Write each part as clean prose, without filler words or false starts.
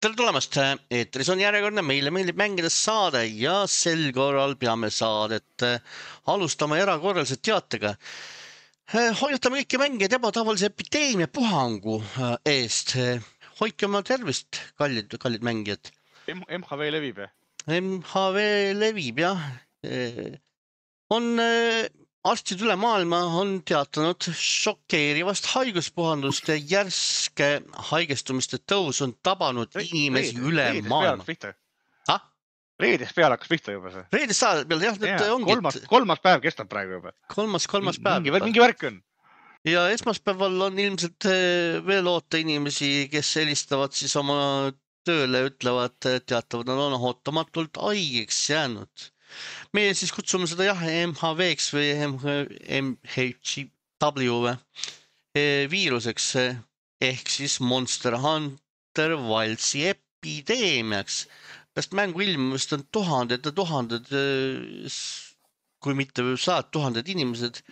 Tere tulemast, eetris on järjekordne Meile meeldib mängida saade ja sel korral peame saadet alustama erakorraliselt teatega. Hoiatame kõiki mängijaid ebatavalise epideemia puhangu eest. Hoidke oma tervist, kallid mängijad. MHV levib, MHV levib, jah. On arstid üle maailma on teatanud šokeerivast haiguspuhandust ja järske haigestumiste tõus on tabanud inimesi üle maailma. Reedest peale hakkas pihta juba see. Reedest saada peale, jah, et ongi. Kolmas päev kestab praegu juba. Kolmas päev. Mingi värk on. Ja esmaspäeval on ilmselt veel oota inimesi, kes helistavad siis oma tööle, ütlevad, teatavad, nad on ootamatult haigeks jäänud. Meie siis kutsume seda jah MHV-ks või MHW viiruseks ehk siis Monster Hunter Wilds'i epideemiaks. Pärast mängu ilmumist on tuhanded, kui mitte 100 000 inimesed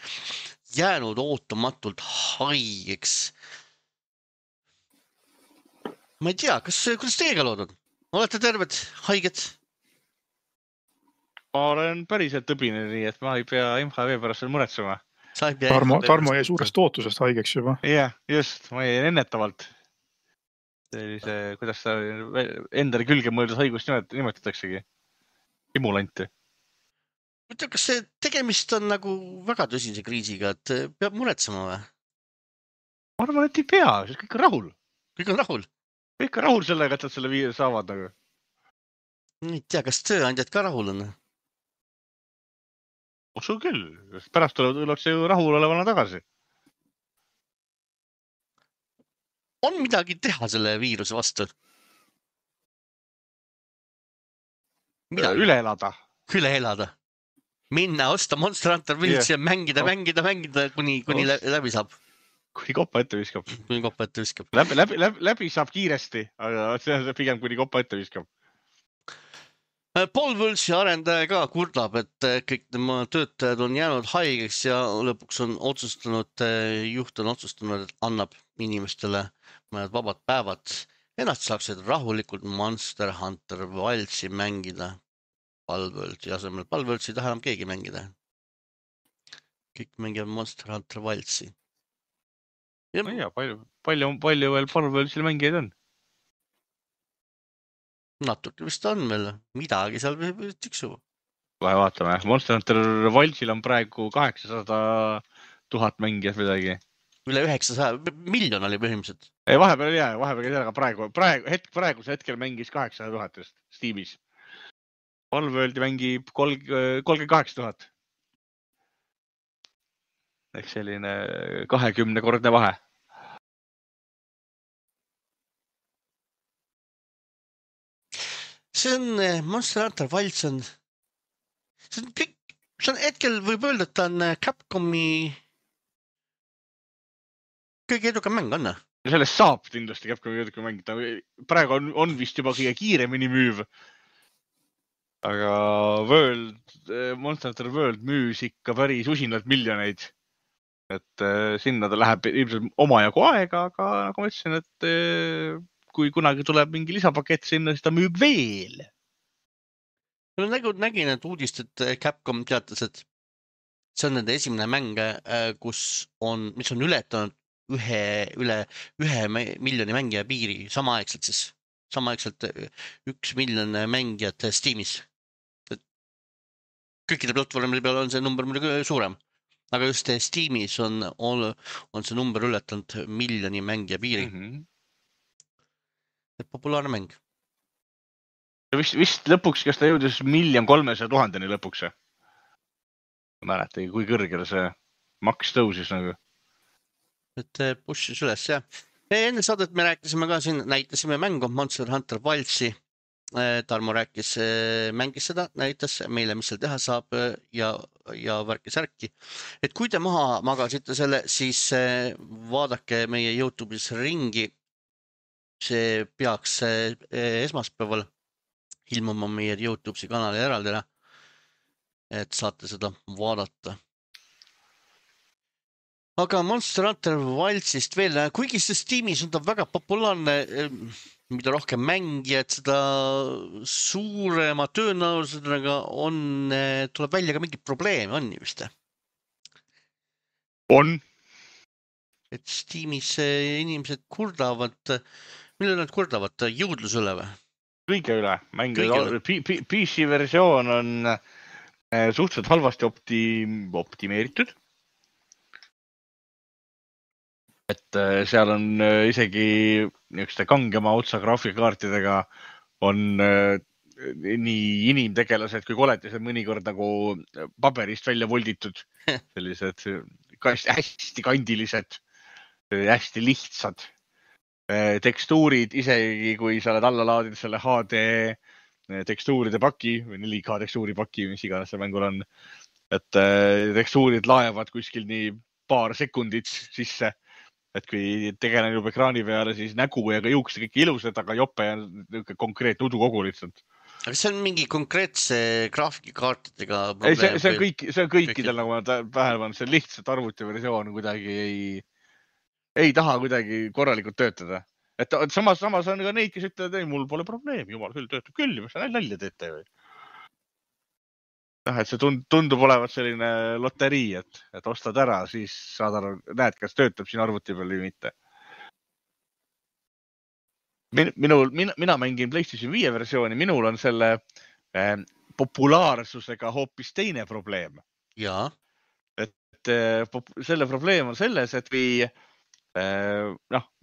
jäänud ootamatult haigeks. Ma ei tea, kuidas teiega lood on? Olete terved, haiged? Ma olen päriselt tõbine, nii et ma ei pea MHV pärast veel muretsema. Tarmo jäi suurest ootusest haigeks juba. Jah, just, ma jäin ennetavalt. Sellise, kuidas ta endale külge mõeldud haigust nimetataksegi? Imulanti. Kas see tegemist on nagu väga tõsise kriisiga, et peab muretsema või? Ma arvan, et ei pea, sest kõik on rahul. Kõik on rahul? Kõik on rahul sellega, et nad selle viiruse saavad nagu. Ei tea, kas tööandjad ka rahul on? Usu küll, pärast tullakse ju rahul olevana tagasi. On midagi teha selle viiruse vastu? Üle elada. Üle elada. Minna, osta Monster Hunter Wilds'i ja mängida, kuni läbi saab. Kuni koppa ette viskab. Kuni koppa ette viskab. Läbi saab kiiresti, aga see on pigem kuni koppa ette viskab. Paul Wilds'i arendaja ka kurdab, et kõik tema töötajad on jäänud haigeks ja lõpuks on juht on otsustanud, et annab inimestele mõned vabad päevad. Ennast saaksid rahulikult Monster Hunter Wilds'i mängida. Paul Wilds'i asemel. Paul Wilds'i ei taha enam keegi mängida. Kõik mängivad Monster Hunter Wilds'i. Ja palju veel Paul Wilds'il mängijaid on? Natuke vist on meil. Midagi seal tiksub. Vahe vaatame. Monster Hunter Wilds'il on praegu 800 000 mängijat midagi. Üle 900 miljon oli põhimõtteliselt. Ei, vahepeal ei jää. Vahepeal ei jää. Praeguse hetkel mängis 800 000 Steamis. Paul Wilds'i mängib 38 000. Ehk selline 20-kordne vahe. See on Monster Hunter Wilds on hetkel võib öelda, et ta on Capcomi kõige edukam mäng, on? Sellest saab kindlasti Capcomi edukam mäng. Praegu on vist juba kõige kiiremini müüv. Aga Monster Hunter World müüs ikka päris usinalt miljoneid. Et sinna ta läheb ilmselt omajagu aega, aga nagu ma ütlesin, et kui kunagi tuleb mingi lisapakett sinna, siis ta müüb veel. Ma nägin, et uudist, et Capcom teatas, et see on nende esimene mäng, mis on ületanud üle 1 miljoni mängija piiri samaaegselt siis. Samaaegselt 1 miljon mängijat Steamis. Kõikide platvormide peal on see number muidugi suurem. Aga just Steamis on see number ületanud 1 miljoni mängija piiri. Populaarne mäng. Vist lõpuks, kas ta jõudis 1 300 000 lõpuks? Ma mäletagi, kui kõrgele see maks tõusis nagu. Et pushis üles, jah. Enne saadet me rääkisime ka siin, näitasime mängu Monster Hunter Wilds'i. Tarmo mängis seda, näitas meile, mis seal teha saab ja värki-särki. Et kui te maha magasite selle, siis vaadake meie YouTube'is ringi. See peaks esmaspäeval ilmuma meie YouTube'i kanali eraldi, et saate seda vaadata. aga Monster Hunter Wildsist veel, kuigi see Steamis on ta väga populaarne, mida rohkem mängijad, seda suurema tõenäosusega tuleb välja ka mingid probleeme, on ju vist? On. Et Steamis inimesed kurdavad, mille nad kurdavad, jõudluse üle või? Kõige üle. PC versioon on suhteliselt halvasti optimeeritud. Et seal on isegi niisuguste kangema otsa graafikakaartidega on nii inimtegelased kui koletised mõnikord nagu paberist välja volditud. Sellised hästi kandilised, hästi lihtsad tekstuurid, isegi kui sa oled alla laadid selle HD tekstuuride paki või 4K tekstuuri paki, mis iganes see mängul on. Et tekstuurid laevad kuskil nii paar sekundit sisse. Et kui tegelen juba ekraani peale, siis nägu ja ka juuksed kõik ilusad, aga jope on konkreetne udukogu lihtsalt. Aga see on mingi konkreetse graafikakaartidega probleem? See on kõikidel, nagu ma tähelepanen, see lihtsalt arvutiversioon kuidagi ei taha kuidagi korralikult töötada. Et samas on ka neid, kes ütlevad, ei, mul pole probleemi, jumal küll, töötab küll, mis sa nalja teete või? Et see tundub olevat selline loterii, et ostad ära, siis saad aru, näed, kas töötab siin arvuti peal või mitte. Mina mängin PlayStation 5 versiooni, minul on selle populaarsusega hoopis teine probleem. Jaa. Et selle probleem on selles, et kui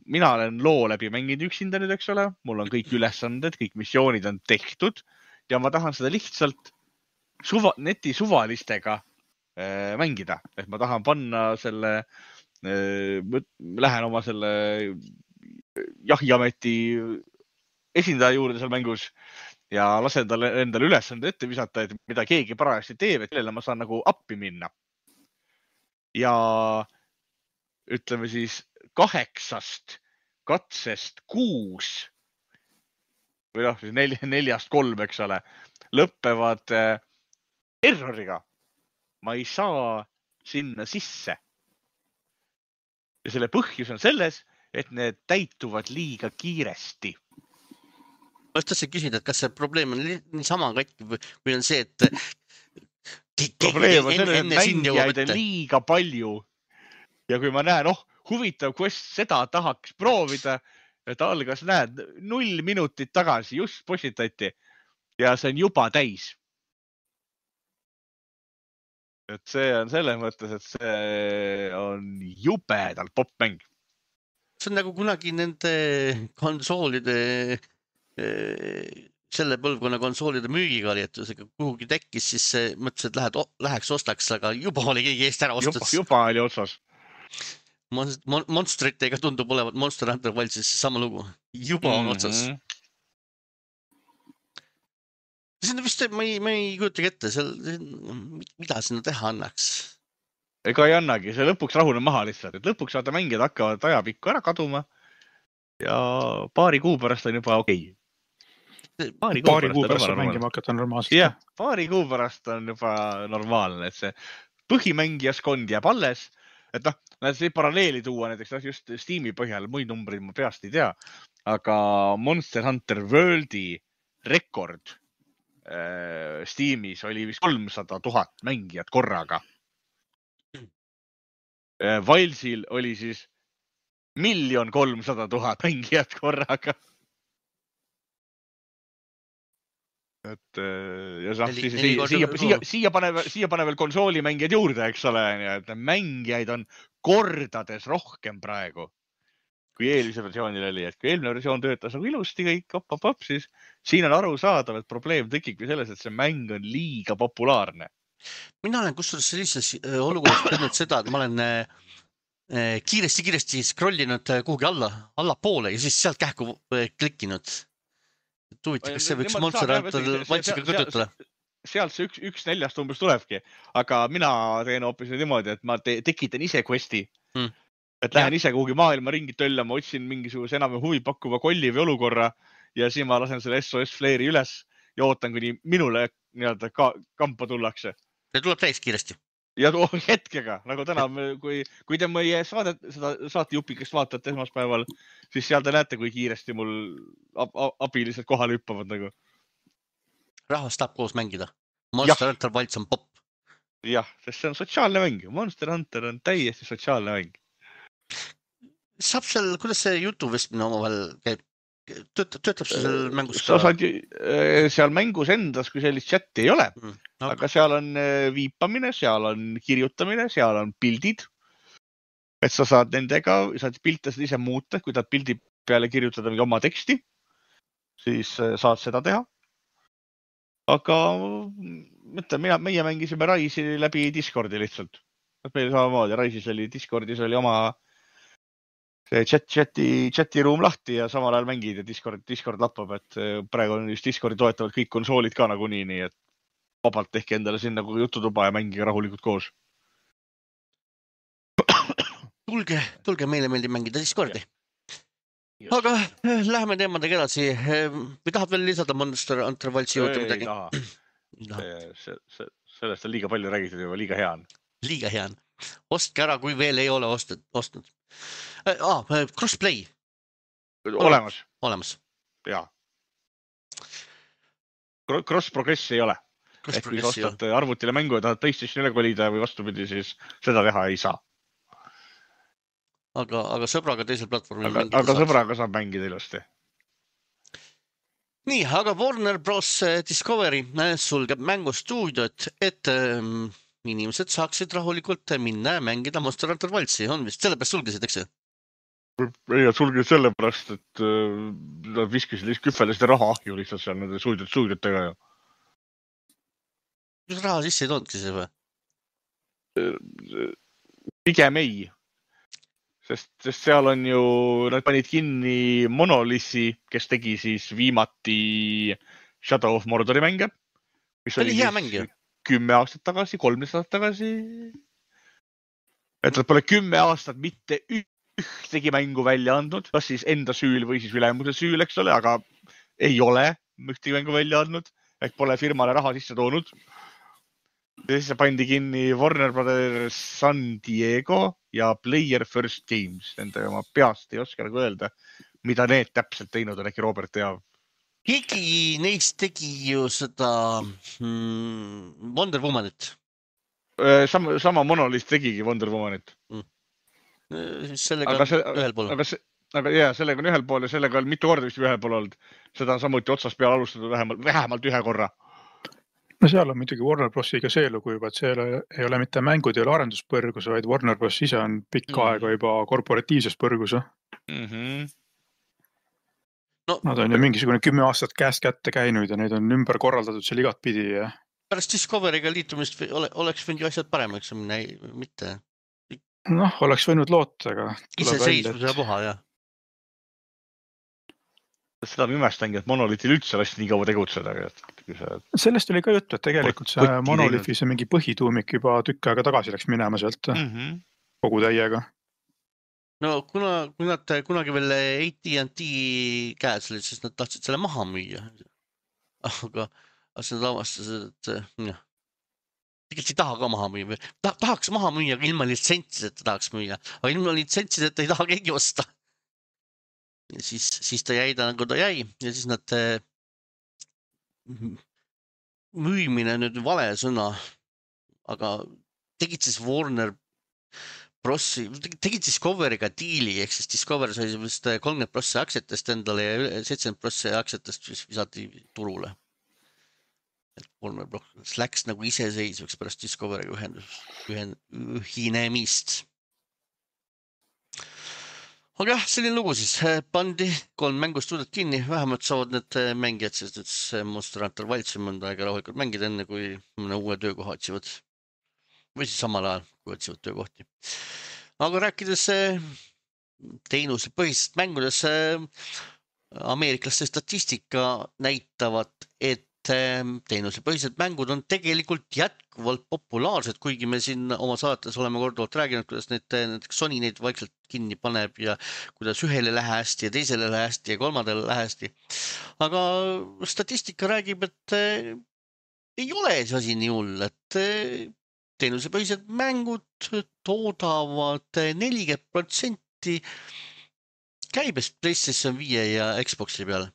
mina olen loo läbi mänginud üksinda nüüd, eks ole, mul on kõik ülesanded, kõik missioonid on tehtud ja ma tahan seda lihtsalt neti suvalistega mängida. Et ma tahan panna selle, lähen oma selle jahiameti esindaja juurde seal mängus ja lasen talle endale ülesande ette visata, et mida keegi parajasti teeb, et kellele ma saan nagu appi minna. Ja ütleme siis 8 katsest 6 või siis 4-3, eks ole, lõppevad erroriga. Ma ei saa sinna sisse. Ja selle põhjus on selles, et need täituvad liiga kiiresti. Ma tahtsin küsida, et kas see probleem on niisama katki või on see, et probleem on selle, et mängijaid on liiga palju. Ja kui ma näen, huvitav quest, seda tahaks proovida, et algas, näed, 0 minutit tagasi just postitati ja see on juba täis. Et see on selles mõttes, et see on jubedalt popmäng. See on nagu kunagi nende konsoolide, selle põlvkonna konsoolide müügikarjetusega kuhugi tekkis, siis mõtlesin, et läheks ostaks, aga juba oli keegi eest ära ostas. Juba oli otsas. Monstritega tundub olevat Monster Hunter Wildsis sama lugu. Juba on otsas. See on vist, ma ei kujutagi ette, mida sinna teha annaks. Ega ei annagi, see lõpuks rahune maha lihtsalt, et lõpuks vaata mängijad hakkavad ajapikku ära kaduma ja paari kuu pärast on juba okei. Paari kuu pärast on mängima hakata normaalselt. Jah, paari kuu pärast on juba normaalne, et see põhimängijaskond jääb alles, et see paralleeli tuua näiteks just Steam'i põhjal, muid numbreid ma peast ei tea, aga Monster Hunter Worldi rekord Steamis oli vist 300 000 mängijat korraga. Wildsil oli siis 1 300 000 mängijat korraga. Et ja siia pane veel konsoolimängijad juurde, eks ole, et mängijaid on kordades rohkem praegu kui eelmise versioonil oli, et kui eelmine versioon töötas nagu ilusti kõik, siis siin on aru saadav, et probleem tekibki selles, et see mäng on liiga populaarne. Mina olen kusjuures sellises olukorras teinud seda, et ma olen kiiresti scrollinud kuhugi alla poole ja siis sealt kähku klikkinud. Huvitav, kas see võiks Monster Hunter Wildsiga kõtutada? Sealt see 1/4 umbes tulebki, aga mina teen hoopis niimoodi, et ma tekitan ise questi. Et lähen ise kuhugi maailma ringi töllama, otsin mingisuguse enam huvi pakkuva kolli või olukorra ja siis ma lasen selle SOS Flare'i üles ja ootan, kuni minule kampa tullakse. See tuleb täis kiiresti. ja hetkega, nagu täna, kui te meie saatejupikest vaatate esmaspäeval, siis seal te näete, kui kiiresti mul abilised kohale hüppavad nagu. Rahvas tahab koos mängida. Monster Hunter Wilds on popp. Jah, sest see on sotsiaalne mäng. Monster Hunter on täiesti sotsiaalne mäng. Saab seal, kuidas see jutuvestmine omavahel käib? Töötab see seal mängus ka? Seal mängus endas, kui sellist chati ei ole, aga seal on viipamine, seal on kirjutamine, seal on pildid. Et sa saad nendega, saad pilte ise muuta, kui tahad pildi peale kirjutada mingi oma teksti, siis saad seda teha. Aga mõtle, meie mängisime Raisi läbi Discordi lihtsalt. Meil samamoodi, Raisis oli Discordis oli oma chati ruum lahti ja samal ajal mängid ja Discord lappab, et praegu on just Discordi toetavad kõik konsoolid ka nagunii, nii et vabalt tehke endale sinna jututuba ja mängige rahulikult koos. Tulge, meile meeldib mängida Discordi. Aga läheme teemadega edasi. Või tahad veel lisada Monster Hunter Wildsi juurde midagi? Ei taha. Sellest on liiga palju räägitud juba, liiga hea on. Liiga hea on. Ostke ära, kui veel ei ole ostnud. Crossplay. Olemas. Jaa. Cross-progress ei ole. Ehk kui sa ostad arvutile mängu ja tahad PlayStationile kolida või vastupidi, siis seda teha ei saa. Aga sõbraga teisel platvormil mängida saab. Aga sõbraga saab mängida ilusti. Nii, aga Warner Bros. Discovery sulgeb mängustuudiot, et inimesed saaksid rahulikult minna ja mängida Monster Hunter Wildsi. On vist sellepärast sulgesid, eks see? Ei, sulgesid sellepärast, et nad viskasid küffelesid raha ahju lihtsalt seal nende stuudiotega. Kas raha sisse ei toonudki see või? Pigem ei. Sest seal on ju, nad panid kinni Monolithi, kes tegi siis viimati Shadow of Mordori mänge. Mis oli hea mäng ju. 10 aastat tagasi, 13 aastat tagasi. Et nad pole 10 aastat mitte ühtegi mängu välja andnud, kas siis enda süül või siis ülemuse süül, eks ole, aga ei ole ühtegi mängu välja andnud, ehk pole firmale raha sisse toonud. Ja siis pandi kinni Warner Brothers San Diego ja Player First Games. Nende oma peast ei oska nagu öelda, mida need täpselt teinud on, äkki Robert teab. Keegi neist tegi ju seda Wonder Womanit. Sama Monolith tegigi Wonder Womanit. Sellega on ühel pool. Aga jah, sellega on ühel pool ja sellega on mitu korda vist ühel pool olnud. Seda on samuti otsast peale alustatud vähemalt ühe korra. No seal on muidugi Warner Brosiga see lugu juba, et see ei ole mitte mängud, ei ole arenduspõrgus, vaid Warner Bros ise on pikka aega juba korporatiivses põrgus. Nad on ju mingisugune 10 aastat käest kätte käinud ja neid on ümber korraldatud seal igat pidi. Pärast Discoveryga liitumist oleks võinud ju asjad paremaks minna, mitte? Noh, oleks võinud loota, aga iseseisvuse puha, jah. Seda ma imestangi, et Monolithil üldse lasti nii kaua tegutseda. Sellest oli ka juttu, et tegelikult see Monolithi see mingi põhituumik juba tükk aega tagasi läks minema sealt kogu täiega. No kui nad kunagi veel AT&T käes olid, siis nad tahtsid selle maha müüa. Aga nad avastasid, et tegelikult ei taha ka maha müüa. Tahaks maha müüa, aga ilma litsentsideta tahaks müüa. Aga ilma litsentsideta ei taha keegi osta. Ja siis ta jäi nagu ta jäi ja siis nad müümine nüüd vale sõna, aga tegid siis Warner Brosi, tegid Discoveryga diili, ehk siis Discovery sai vist 30% aktsiatest endale ja 70% aktsiatest visati turule. Et Warner Bros läks nagu iseseisvaks pärast Discoveryga ühinemist. Aga jah, selline lugu siis. Pandi 3 mängustuudiot kinni, vähemalt saavad need mängijad, sest Monster Hunter Wildsi mõnda aega rahulikult mängida enne, kui mõne uue töökoha otsivad. Või siis samal ajal, kui otsivad töökohti. Aga rääkides teenusepõhisest mängudes, ameeriklaste statistika näitavad, et teenusepõhised mängud on tegelikult jätkuvalt populaarsed, kuigi me siin oma saates oleme korduvalt rääginud, kuidas näiteks Sony neid vaikselt kinni paneb ja kuidas ühele lähe hästi ja teisele lähe hästi ja kolmandale lähe hästi. Aga statistika räägib, et ei ole see asi nii hull, et teenusepõhised mängud toodavad 40% käibest PlayStation 5 ja Xboxi peale.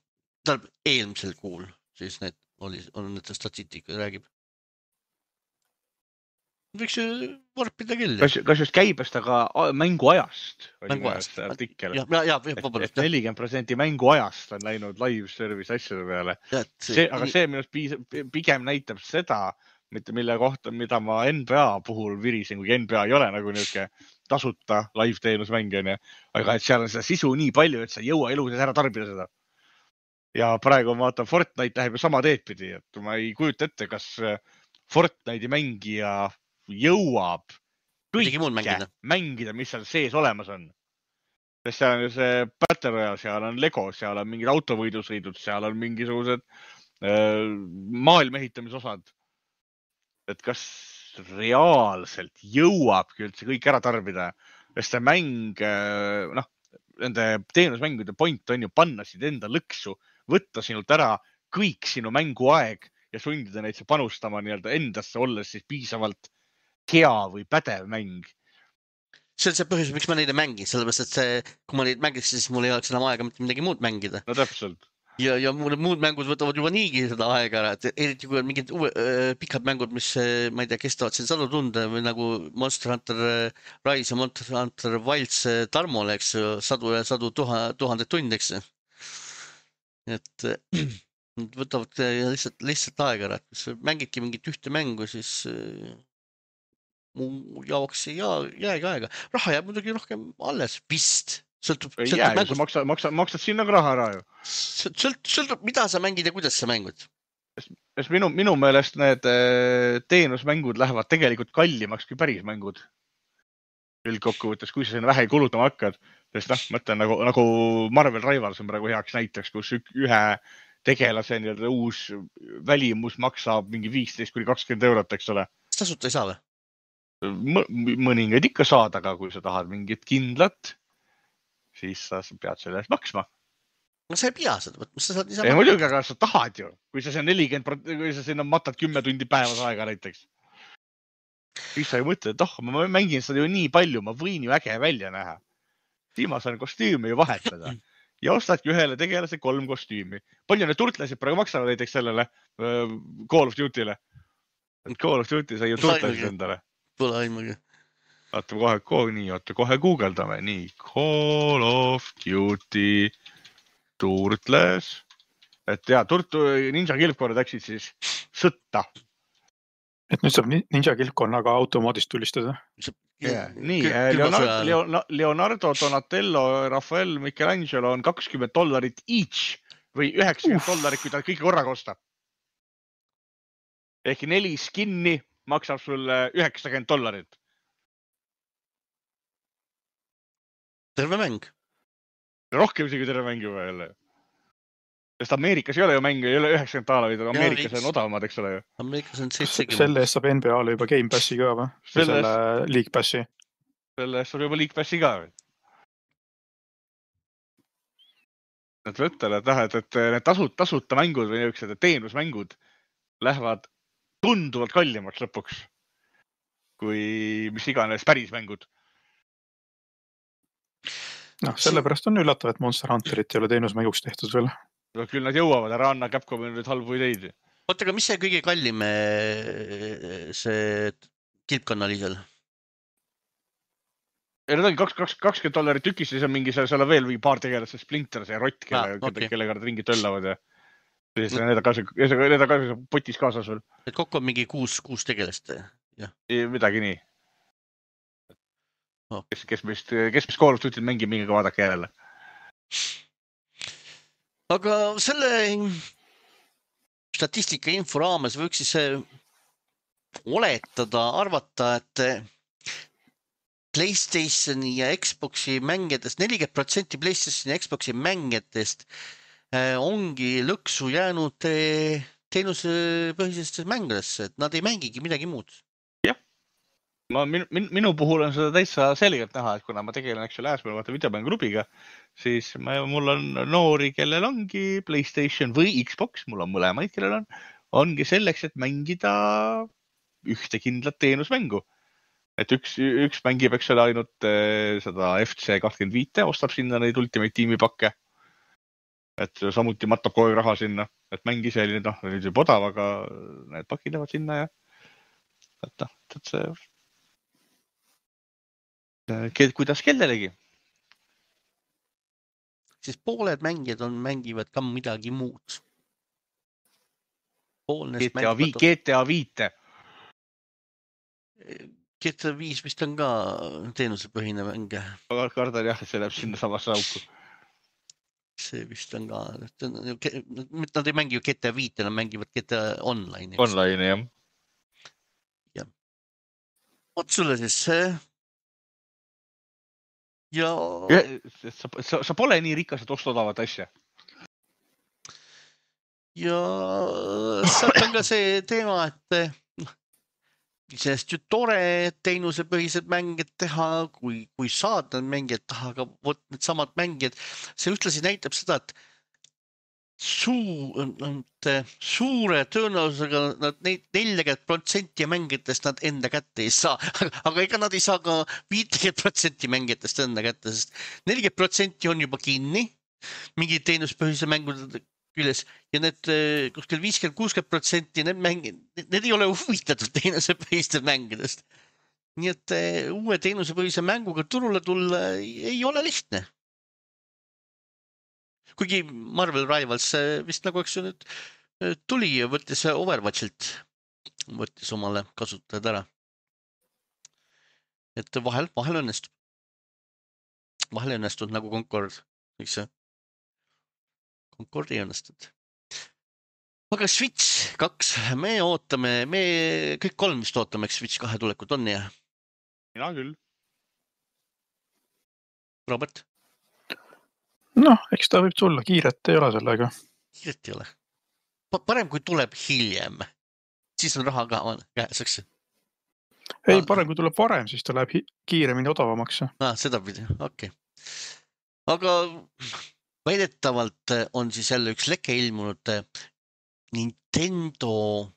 Tähendab eelmisel kuul, siis on need statistika räägib. Võiks ju varpida küll. Kas just käibest, aga mänguajast oli Mänguajast. artikkel. Ja, et 40% mänguajast on läinud live service asjade peale. Aga see minust pigem näitab seda, mille kohta, mida ma NBA puhul virisin, kui NBA ei ole nagu niisugune tasuta live teenusmängijana, aga et seal on seda sisu nii palju, et sa ei jõua eluses ära tarbida seda. Ja praegu ma vaatan, Fortnite läheb ju sama teed pidi, et ma ei kujuta ette, kas Fortnite'i mängija jõuab kõike mängida, mis seal sees olemas on. Sest seal on ju see Battle Royale, seal on Lego, seal on mingid autovõidusõidud, seal on mingisugused maailma ehitamisosad. Et kas reaalselt jõuabki üldse kõik ära tarbida? Sest see mäng, nende teenusmängude point on ju panna sind enda lõksu, võtta sinult ära kõik sinu mänguaeg ja sundida neid panustama nii-öelda endasse, olles siis piisavalt hea või pädev mäng. See on see põhjus, miks ma neid ei mängi, sellepärast, et kui ma neid mängiks, siis mul ei oleks enam aega mitte midagi muud mängida. No täpselt. Ja muud mängud võtavad juba niigi seda aega ära, et eriti kui on mingid pikad mängud, mis ma ei tea, kestavad siin 100 tunde või nagu Monster Hunter Rise ja Monster Hunter Wilds Tarmole, eks ju, 100 000 tundi, eks ju. Et võtavad lihtsalt aega ära, et kui mängidki mingit ühte mängu, siis mu jaoks ei jäägi aega. Raha jääb muidugi rohkem alles, vist. Sõltub mängust. Maksad sinna ka raha ära ju. Sõltub, mida sa mängid ja kuidas sa mängud. Minu meelest need teenusmängud lähevad tegelikult kallimaks kui päris mängud. Üldkokkuvõttes, kui sa sinna vähe kulutama hakkad. Sest mõtlen nagu Marvel Rivals on praegu heaks näiteks, kus ühe tegelase uus välimus maksab mingi 15–20 €, eks ole. Tasuta ei saa või? Mõningaid ikka saad, aga kui sa tahad mingit kindlat, siis sa pead selle eest maksma. No sa ei pea seda võtma, sa saad niisama. Ei muidugi, aga sa tahad ju. Kui sa sinna matad 10 tundi päevas aega näiteks. Siis sa ju mõtled, et ma mängin seda ju nii palju, ma võin ju äge välja näha. Siis ma saan kostüümi ju vahetada. Ja ostadki ühele tegelase 3 kostüümi. Palju need turtlesid praegu maksavad näiteks sellele Call of Duty'le. Call of Duty sai ju turtlesid endale. Pole aimugi. Vaatame kohe guugeldame. Nii, Call of Duty turtles. Et ninja kilpkorrad läksid siis sõtta. Et nüüd saab ninja kilpkonnaga automoodist tulistada. Nii, Leonardo, Donatello, Rafael, Michelangelo on $20 each või $90, kui ta kõige korraga ostab. Ehk 4 skinni maksab sulle $90. Terve mäng. Rohkem isegi terve mäng juba jälle. Sest Ameerikas ei ole ju mänge, ei ole $90, Ameerikas on odavamad, eks ole ju. Ameerikas on 70. Selle eest saab NBA-le juba Game Passi ka või? Selle League Passi. Selle eest saab juba League Passi ka või? Nad võttele, et need tasuta mängud või niisugused teenusmängud lähevad tunduvalt kallimaks lõpuks kui mis iganes päris mängud. Sellepärast on üllatav, et Monster Hunterit ei ole teenusmänguks tehtud veel. Küll nad jõuavad, ära anna Capcomi nüüd halbu ideid. Oota, aga mis see kõige kallim see kilpkonnalisel? Need ongi $20 tükis, siis on mingi seal on veel paar tegelast, see Splinter, see rott, kellega nad ringi töllavad ja siis need on ka potis kaasas veel. Et kokku on mingi 6 tegelast? Midagi nii. Kes mis Call of Duty mängib, mingi ka vaadake jälle. Aga selle statistika info raames võiks siis oletada, arvata, et PlayStationi ja Xboxi mängijatest, 40% PlayStationi ja Xboxi mängijatest ongi lõksu jäänud teenusepõhisesse mängudesse, et nad ei mängigi midagi muud. Jah. Minu puhul on seda täitsa selgelt näha, et kuna ma tegelen äsmel videomänguklubiga, siis mul on noori, kellel ongi PlayStation või Xbox, mul on mõlemaid, kellel ongi selleks, et mängida ühte kindlat teenusmängu. Et üks mängib, eks ole, ainult seda FC25, ostab sinna neid Ultimate Teami pakke. Et samuti matab kogu raha sinna, et mäng ise oli nüüd juba odav, aga need pakid lähevad sinna ja et see kuidas kellelegi. Siis pooled mängijad mängivad ka midagi muud. GTA 5. GTA 5 vist on ka teenusepõhine mäng. Ma kardan jah, et see läheb sinna samasse auku. See vist on ka, nad ei mängi ju GTA 5, nad mängivad GTA Online. Online, jah. Ja. Oot sulle siis see. Ja... Sa pole nii rikas, et osta odavat asja. Ja sealt on ka see teema, et sellest ju tore teenusepõhised mängid teha, kui saad need mängijad taha, aga võt need samad mängijad, see ühtlasi näitab seda, et suure tõenäosusega nad 40% mängijatest nad enda kätte ei saa, aga ega nad ei saa ka 50% mängijatest enda kätte, sest 40% on juba kinni mingi teenuspõhise mängude küljes ja need kuskil 50-60% need ei ole huvitatud teenusepõhiste mängidest. Nii et uue teenusepõhise mänguga turule tulla ei ole lihtne. Kuigi Marvel Rivals vist nagu eks nüüd tuli ja võttis Overwatchilt, võttis omale kasutajad ära. Et vahel õnnestub. Vahel õnnestud nagu Concord, miks see? Concordi õnnestud. Aga Switch 2, me ootame, kõik kolm vist ootame, eks Switch 2 tulekut on ja? Mina küll. Robert? Noh, eks ta võib tulla, kiiret ei ole sellega. Kiiret ei ole. Parem kui tuleb hiljem, siis on raha ka käes, eks? Ei, parem kui tuleb varem, siis ta läheb kiiremini odavamaks. Seda pidi, okei. Aga väidetavalt on siis jälle üks leke ilmunud Nintendo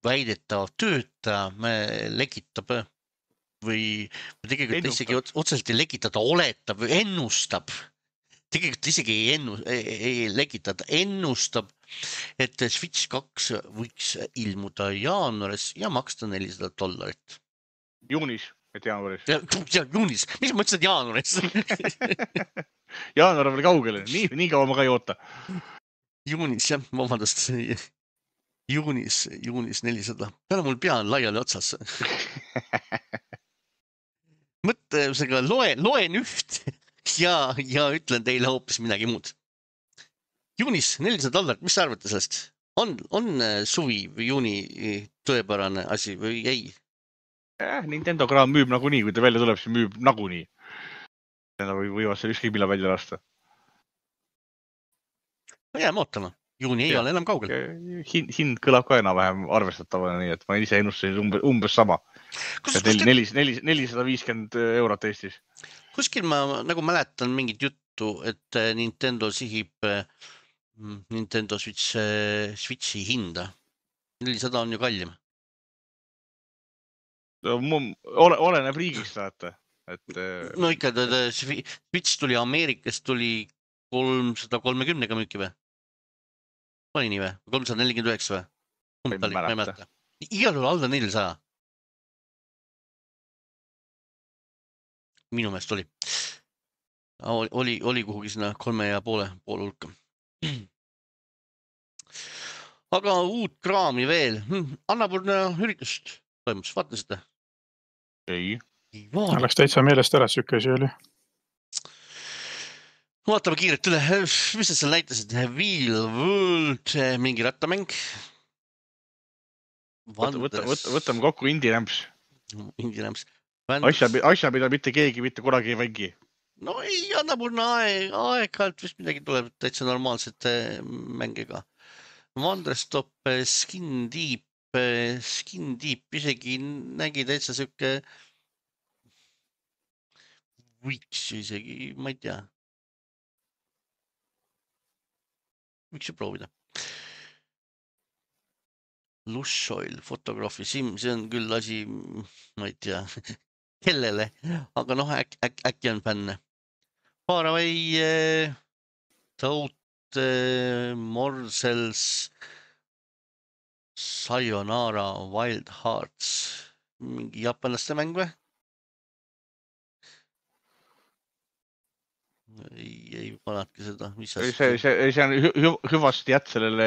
väidetav töötaja lekitab või tegelikult isegi otseselt ei lekita, ta oletab või ennustab. Tegelikult isegi ei lekita, ta ennustab, et Switch 2 võiks ilmuda jaanuaris ja maksta $400. Juunis, et jaanuaris. Ja juunis, mis ma ütlesin jaanuaris? Jaanuar on veel kaugele, nii kaua ma ka ei oota. Juunis, jah, vabandust. Juunis 400. Peale mul pea on laiali otsas. Mõttega loen üht ja ütlen teile hoopis midagi muud. Juunis $400, mis sa arvate sellest? On suvi või juuni tõepärane asi või ei? Nintendo kraam müüb nagunii, kui ta välja tuleb, siis müüb nagunii. Võivad selle ükskõik millal välja lasta. No jääme ootama. Juuni ei ole enam kaugel. Hind kõlab ka enam-vähem arvestatavana, nii et ma ise ennustasin umbes sama. 450 eurot Eestis. Kuskil ma nagu mäletan mingit juttu, et Nintendo sihib Nintendo Switchi hinda. 400 on ju kallim. Oleneb riigist, saate. No ikka, Switch tuli Ameerikast, tuli 330 müüki või? Oli nii või? 349 või? Ma ei mäleta. Igal juhul alla 400. Minu meelest oli. Oli kuhugi sinna 3,5 hulka. Aga uut kraami veel. Annapurna üritust toimus, vaatasite? Ei. Läks täitsa meelest ära, süke asi oli. Vaatame kiirelt üle. Mis sa seal näitasid? Wheel World, mingi rattamäng. Võtame kokku Indie Ramps. Indie Ramps. Asja, mida mitte keegi mitte kunagi ei mängi. No ei, annapurna aeg-ajalt vist midagi tuleb täitsa normaalsete mängiga. Wanderstop, Skin Deep isegi nägi täitsa siuke võiks isegi, ma ei tea. Võiks ju proovida. Lush Oil, fotograafi sim, see on küll asi, ma ei tea, kellele, aga noh, äkki on fänne. Faraway, Toad, Morsels, Sayonara, Wild Hearts, mingi jaapanlaste mäng või? Ei panadki seda, mis see on hüvasti jät sellele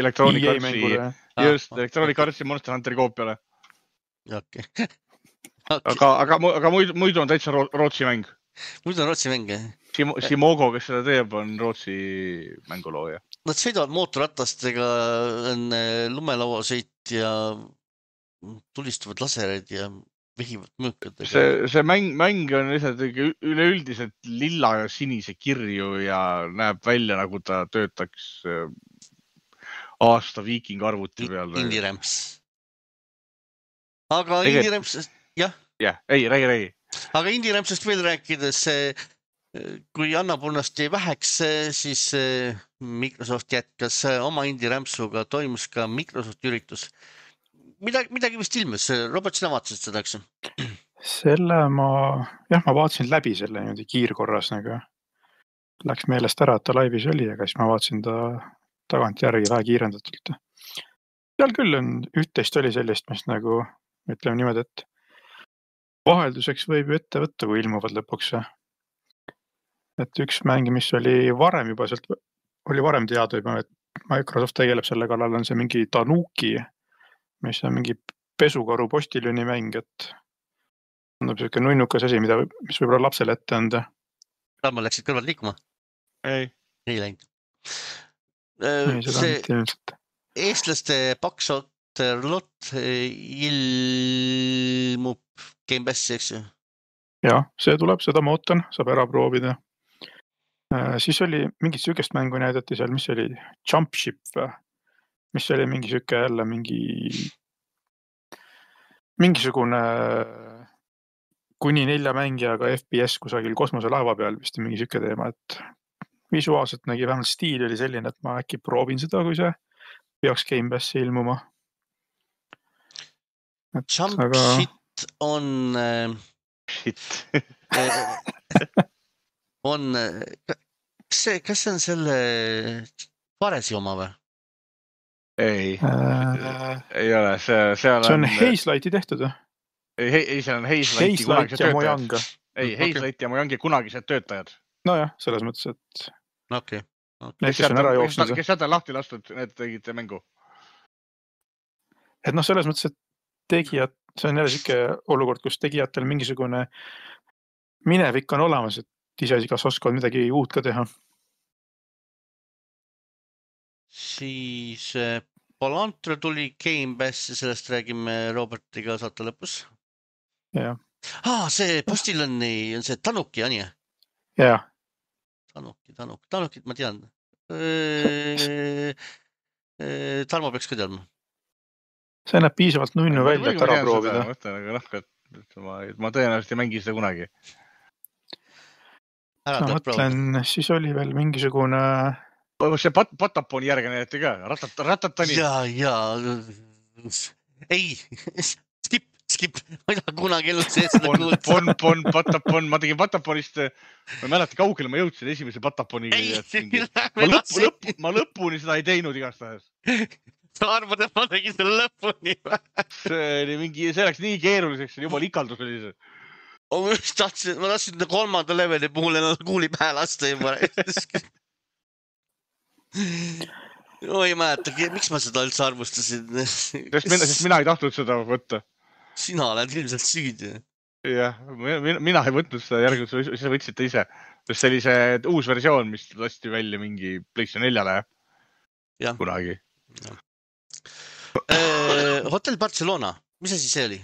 Electronic EA Artsi, mängule. just Electronic Artsi Monster Hunteri koopiale. okei. Aga muidu on täitsa Rootsi mäng. Muidu on Rootsi mäng, jah? Simogo, kes seda teeb, on Rootsi mängulooja. Nad sõidavad mootorratastega, on lumelauasõit ja tulistavad lasereid ja vehivad mõõkadega. See mäng on lihtsalt üleüldiselt lilla ja sinise kirju ja näeb välja, nagu ta töötaks aasta viiking arvuti peal. Indie Ramps. Aga Indie Rampsest, jah? Jah, räägi. Aga Indie Rampsest veel rääkides, kui Annapurnast jäi väheks, siis Microsoft jätkas oma Indie Rampsuga, toimus ka Microsoft üritus. Midagi vist ilmus, Robert, sina vaatasid seda, eks? Selle ma vaatasin läbi selle niimoodi kiirkorras nagu. Läks meelest ära, et ta laivis oli, aga siis ma vaatasin ta tagant järgi vähe kiirendatult. Seal küll on üht-teist oli sellist, mis nagu, ütleme niimoodi, et vahelduseks võib ju ette võtta, kui ilmuvad lõpuks. Et üks mäng, mis oli varem juba sealt, oli varem teada juba, et Microsoft tegeleb selle kallal, on see mingi Tanuki, mis on mingi pesukaru postiljóni mäng, et on selline nunnukas asi, mis võib-olla lapsele ette anda. Ma läksid kõrvalt liikuma? Ei läinud. See eestlaste Paksoterlot ilmub Game Passi, eks ju? Jah, see tuleb, seda ma ootan, saab ära proovida. Siis oli mingit sükest mängu näidati seal, mis oli Jump Ship või? Mis oli mingi süke jälle mingisugune kuni 4 mängijaga FPS kusagil kosmoselaeva peal vist mingi süke teema, et visuaalselt nägi vähemalt stiil oli selline, et ma äkki proovin seda, kui see peaks Game Passi ilmuma. Jump Shit on kas see on selle Varesi oma või? Ei ole, see on Hazelighti tehtud või? Ei, see on Hazelight ja Mojang. Ei, Hazelight ja Mojangi kunagised töötajad. Nojah, selles mõttes, et okay. Kes on ära jooksnud. Kes sealt on lahti lastud, need tegid mängu. Et selles mõttes, et tegijad, see on jälle siuke olukord, kus tegijatel mingisugune minevik on olemas, et ise kas oskavad midagi uut ka teha. Siis Palantra tuli Game Passi, sellest räägime Robertiga saate lõpus. Jah. See postilõnni on see Tanuki, on ju? Jah. Tanukit ma tean. Tarmo peaks ka teadma. See näeb piisavalt nunnu välja, et ära proovida. Ma tõenäoliselt ei mängi seda kunagi. Ma mõtlen, siis oli veel mingisugune... See Pataponi järge näidati ka, Ratatani. Jaa. Ei, skip. Ma ei taha kunagi ellu sees. Patapon. Ma tegin Pataponist, ma ei mäleta, kaugele ma jõudsin esimese Pataponi. Ma lõpuni seda ei teinud igastahes. Sa arvad, et ma tegin selle lõpuni või? See läks nii keeruliseks, juba ikaldus oli see. Ma tahtsin 3. leveli puhul ennast kuuli pähe lasta juba. Ei mäleta, miks ma seda üldse arvustasin? Sest mina ei tahtnud seda võtta. Sina oled ilmselt süüdi. Jah, mina ei võtnud seda järgi, sa võtsite ise. Sest see oli see uus versioon, mis lasti välja mingi PlayStation 4-le kunagi. Hotel Barcelona, mis asi see oli?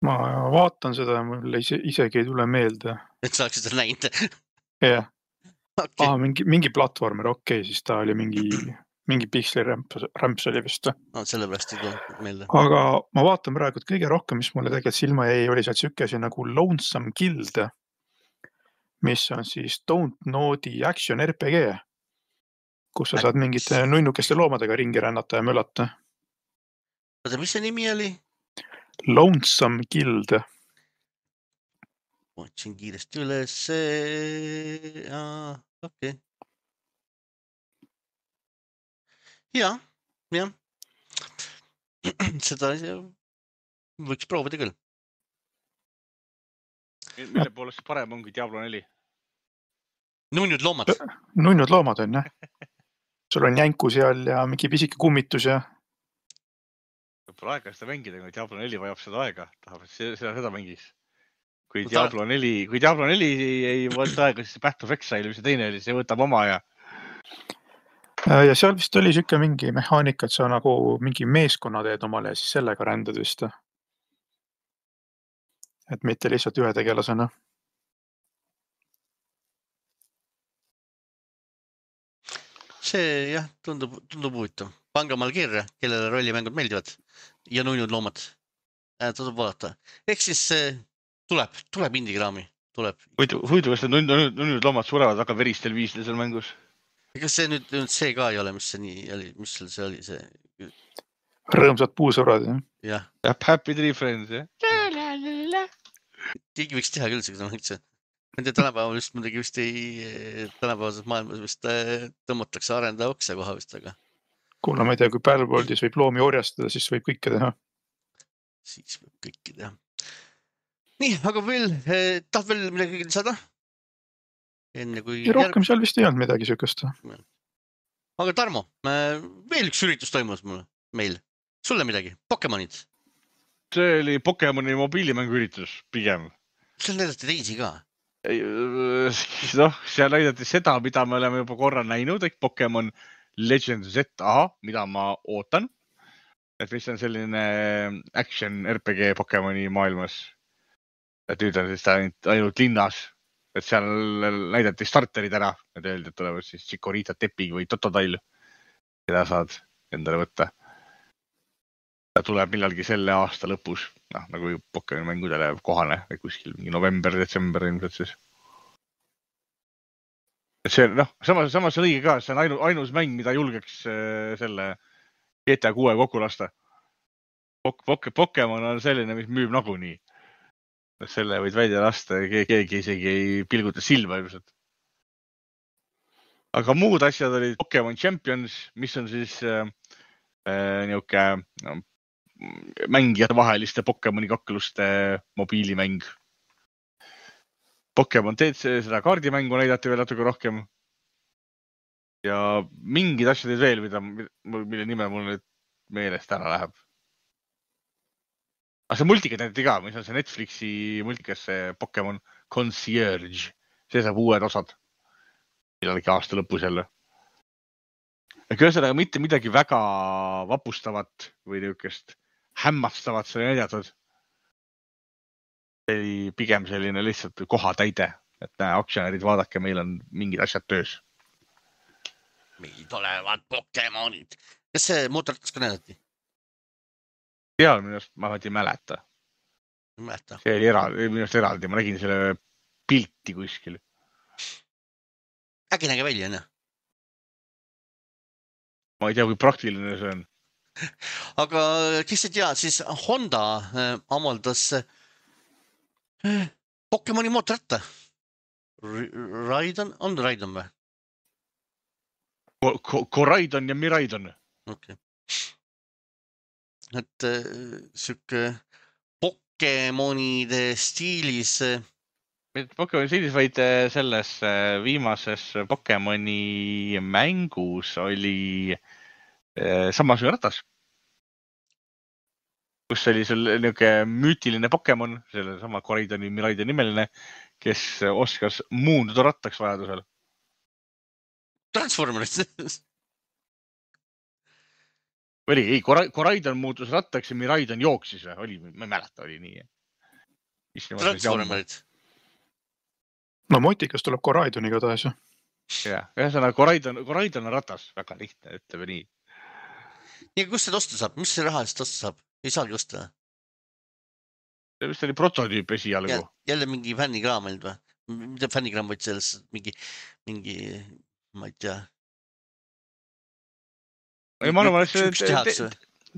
Ma vaatan seda, mulle isegi ei tule meelde. Et sa oleksid seda näinud? Jah. Mingi platvormer, siis ta oli mingi piksli rämps oli vist. Sellepärast ei tule meelde. Aga ma vaatan praegu, et kõige rohkem, mis mulle tegelikult silma jäi, oli sealt sükesi nagu Lonesome Guild, mis on siis Don't Nodi action RPG, kus sa saad mingite nunnukeste loomadega ringi rännata ja mölata. Oota, mis see nimi oli? Lonesome Guild. Otsin kiiresti üles. Okei. Jah. Seda võiks proovida küll. Mille poolest parem ongi Diablo 4? Nunnud loomad. Nunnud loomad on, jah. Sul on jänku seal ja mingi pisike kummitus ja... Pole aega seda mängida, kui Diablo 4 vajab seda aega. Tahab, et seda mängis. Kui Diablo 4 ei võta aega, siis Path of Exile, mis see teine oli, see võtab oma ja... Ja seal vist oli siuke mingi mehaanika, et sa nagu mingi meeskonna teed omale ja siis sellega rändad vist. Et mitte lihtsalt ühe tegelasena. See jah, tundub huvitav. Pange omal kirja, kellele rollimängud meeldivad ja nunnud loomad. Tasub vaadata. Ehk siis tuleb indikraami. Huvitav, kas need nunnud loomad surevad väga veristel viistel seal mängus? Kas see nüüd see ka ei ole, mis see nii oli, mis see oli see? Rõõmsad puusurad, jah? Happy Tree Friends, jah? Keegi võiks teha küll seda mõtse. Nende tänapäeval vist muidugi vist tänapäevases maailmas vist tõmmatakse arendaja okse koha vist, aga... Kuule, ma ei tea, kui Battleworldis võib loomi orjastada, siis võib kõike teha. Siis võib kõike teha. Nii, aga veel, tahad veel midagi lisada? Enne kui... Ja rohkem seal vist ei olnud midagi sükast. Aga Tarmo, veel üks üritus toimus meil. Sulle midagi? Pokemonid? See oli Pokemoni mobiilimängu üritus pigem. Seal näidati teisi ka? Noh, seal näidati seda, mida me oleme juba korra näinud, et Pokemon Legends ZA, mida ma ootan. Et mis on selline action RPG Pokemoni maailmas. Et nüüd on siis ainult linnas. Et seal näidati starterid ära. Et öeldi, et tulevad siis Chikorita Tepig või Totodile. Keda saad endale võtta. Ta tuleb millalgi selle aasta lõpus. Noh, nagu Pokemoni mängudele kohane. Või kuskil mingi november, detsember ilmselt siis. Et see, noh, samas on õige ka. See on ainus mäng, mida julgeks selle GTA 6 kokku lasta. Pokemon on selline, mis müüb nagunii. Selle võid välja lasta ja keegi isegi ei pilguta silma ilmselt. Aga muud asjad olid Pokemon Champions, mis on siis niuke mängijate vaheliste Pokemoni kakluste mobiilimäng. Pokemon TC, seda kaardimängu näidati veel natuke rohkem. Ja mingid asjad veel, mille nime mul nüüd meelest ära läheb. Aga see multikat näidati ka, mis on see Netflixi multikas, see Pokemon Concierge. See saab uued osad. Millalgi aasta lõpus jälle. Ühesõnaga mitte midagi väga vapustavat või niukest hämmastavat see näidatud. See oli pigem selline lihtsalt kohatäide. Et näe, aktsionärid vaadake, meil on mingid asjad töös. Meil tulevad Pokemonid. Kas see mootorratas ka näidati? Seal minust ma ei mäleta. See oli minust eraldi. Ma nägin selle pilti kuskil. Äkki näge välja, jah? Ma ei tea, kui praktiline see on. Aga kes ei tea, siis Honda amaldas Pokemoni mootorratta. Raidon? On Raidon või? Koraidon ja Miraidon. Okei. Et sükke Pokemonide stiilis... Pokemoni stiilis, vaid selles viimases Pokemoni mängus oli samasugune ratas. Kus oli sul niuke müütiline Pokemon, selle sama Koraidoni Miraidon nimeline, kes oskas muunduda rattaks vajadusel. Transformerid. Oli, ei, Koraidon muutus rattaks ja Miraidon jooksis. Oli, ma ei mäleta, oli nii. Transformerid. No motikas tuleb Koraidoniga taas. Jah, ühesõnaga Koraidon on ratas. Väga lihtne, ütleme nii. Ja kus seda osta saab? Mis see raha eest osta saab? Ei saagi osta. See vist oli prototüüp esialgu. Jälle mingi fännikraam olnud või? Mida fännikraam võid selles mingi, ma ei tea, Ei, ma arvan, et üks tehakse.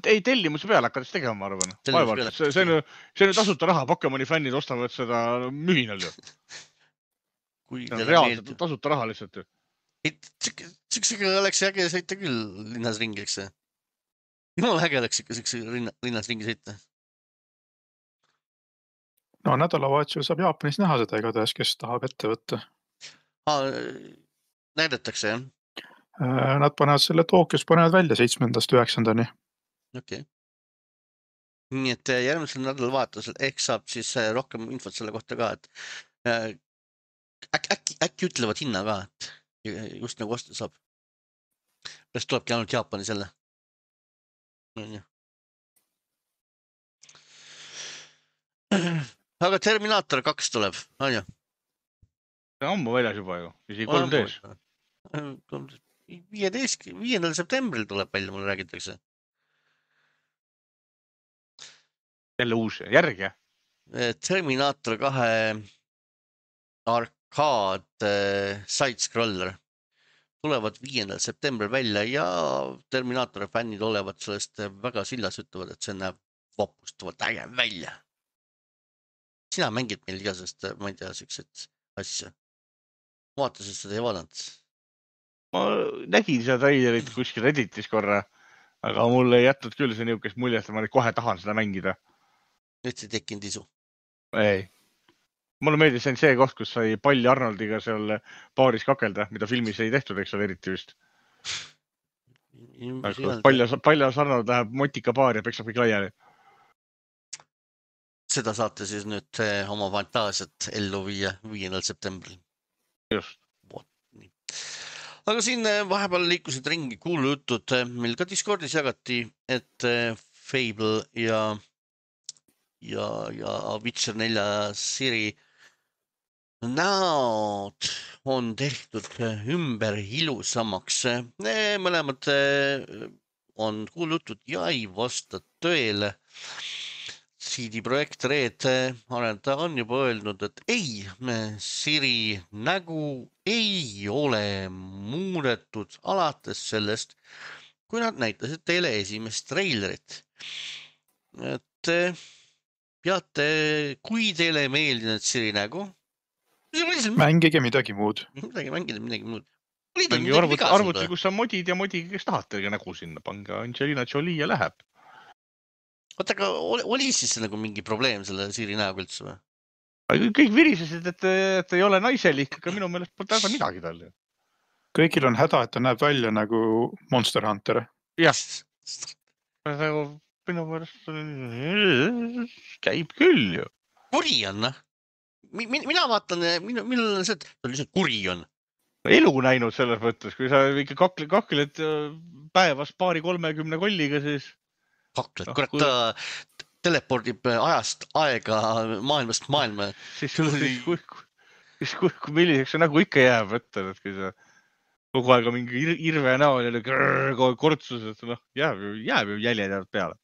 ei tellimuse peale hakkas tegema, ma arvan. Tellimuse peale. See on tasuta raha, Pokemoni fännid ostavad seda mühinal ju. Kui See on teile reaalselt meeldib. tasuta raha lihtsalt ju. Siuksega oleks äge sõita küll linnas ringi, eks see. Jumala äge oleks ikka siukse linnas ringi sõita. No nädalavahetusel saab Jaapanis näha seda igatahes, kes tahab ette võtta. Näidatakse, jah? Nad panevad selle Tokyos panevad välja 7.–9. Okei. Nii et järgmisel nädalavahetusel ehk saab siis rohkem infot selle kohta ka, et äkki ütlevad hinna ka, et just nagu osta saab. Kas tulebki ainult Jaapani selle? Aga Terminator 2 tuleb, on ju? See on ammu väljas juba ju, isegi 3Ds. 5. septembril tuleb välja, mulle räägitakse. Jälle uus järg, jah? Terminator 2 arcade side-scroller tulevad 5. septembril välja ja Terminator fännid olevat sellest väga sillas ütlevad, et see näeb vapustavalt äge välja. Sina mängid meil igasest, ma ei tea, siukseid asju. Vaatasid seda ei vaadanud? Ma nägin seda trailerit kuskil Redditis korra, aga mul ei jätnud küll see niisugust muljet, et ma nüüd kohe tahan seda mängida. Nüüd ei tekkinud isu? Ei. Mulle meeldis see koht, kus sai Palli Arnoldiga seal baaris kakelda, mida filmis ei tehtud, eks ole, eriti just. Paljas Arnold läheb motika baari ja peksab kõik laiali. Seda saate siis nüüd oma fantaasiat ellu viia 5. septembril. Just. Aga siin vahepeal liikusid ringi kuulujutud, meil ka Discordis jagati, et Fable ja Witcher 4 siri näod on tehtud ümber ilusamaks. Mõlemad on kuulujutud ja ei vasta tõele. CD Projekt Red arendaja on juba öelnud, et ei, Siri nägu ei ole muudetud alates sellest, kui nad näitasid teile esimest treilerit. Et peate, kui teile ei meeldinud Siri nägu, mängige midagi muud. Mängige midagi muud. Arvuti, kus on modid ja modiga, kes tahate nägu sinna, pange Angelina Jolie ja läheb. Oota, aga oli siis nagu mingi probleem selle Siri näoga üldse või? Kõik virisesid, et ei ole naiselik, aga minu meelest pole väga midagi tal. Kõigil on häda, et ta näeb välja nagu Monster Hunter. Jah. Minu meelest käib küll ju. Kuri on, noh. Mina vaatan, millal on see, et ta lihtsalt kuri on. Elu näinud selles mõttes, kui sa ikka kakled päevas 2-30 kolliga, siis... Kakled, kurat ta telepordib ajast aega maailmast maailma. Siis milliseks see nagu ikka jääb, et kui sa kogu aega mingi irve näol ja kortsus, et jääb ju jäljed jäävad peale.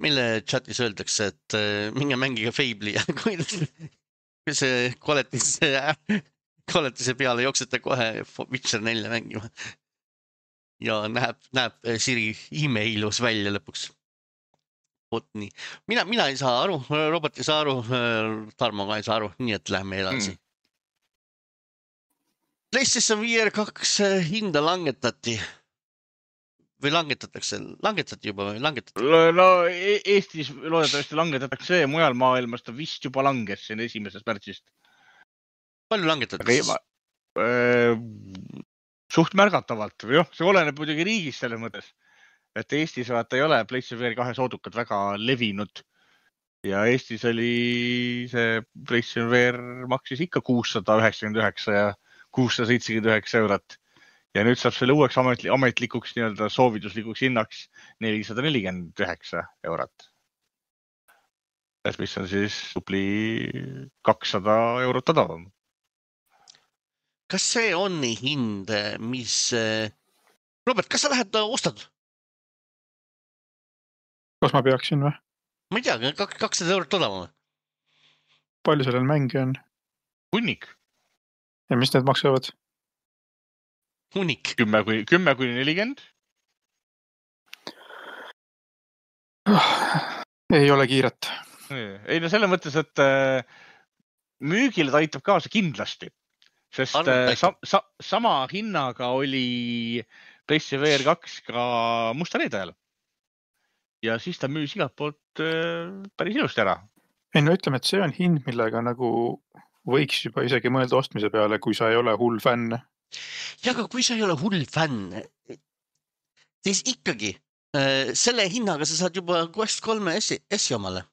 Meile chatis öeldakse, et minge mängige Fable'i ja kui see koletise peale jooksete kohe Witcher 4 mängima. Ja näeb Siri imeilus välja lõpuks. Vot nii. Mina ei saa aru, Robert ei saa aru, Tarmo ka ei saa aru, nii et lähme edasi. PlayStation VR 2 hinda langetati. Või langetati juba või langetati? No Eestis loodetavasti langetatakse, mujal maailmas ta vist juba langes siin 1. märtsist. Palju langetati? Suht märgatavalt. See oleneb muidugi riigis selles mõttes, et Eestis vaata ei ole PlayStation VR 2 soodukad väga levinud. Ja Eestis oli see PlayStation VR maksis ikka 699 ja 679 eurot. Ja nüüd saab selle uueks ametlikuks soovituslikuks hinnaks 449 eurot. Mis on siis tupli 200 eurot odavam. Kas see on hind, mis... Robert, kas sa lähed ostad? Kas ma peaksin või? Ma ei tea, 200 eurot odavam. Palju sellel mängi on? Hunnik. Ja mis need maksavad? Hunnik. 10-40. Ei ole kiiret. Ei no selle mõttes, et müügile ta aitab kaasa kindlasti, sest sama hinnaga oli PlayStation VR 2 ka Musta Reede ajal. Ja siis ta müüs igalt poolt päris ilusti ära. Ei no ütleme, et see on hind, millega nagu võiks juba isegi mõelda ostmise peale, kui sa ei ole hull fänn. Ja aga kui sa ei ole hull fänn, siis ikkagi selle hinnaga sa saad juba Quest 3 S-i omale.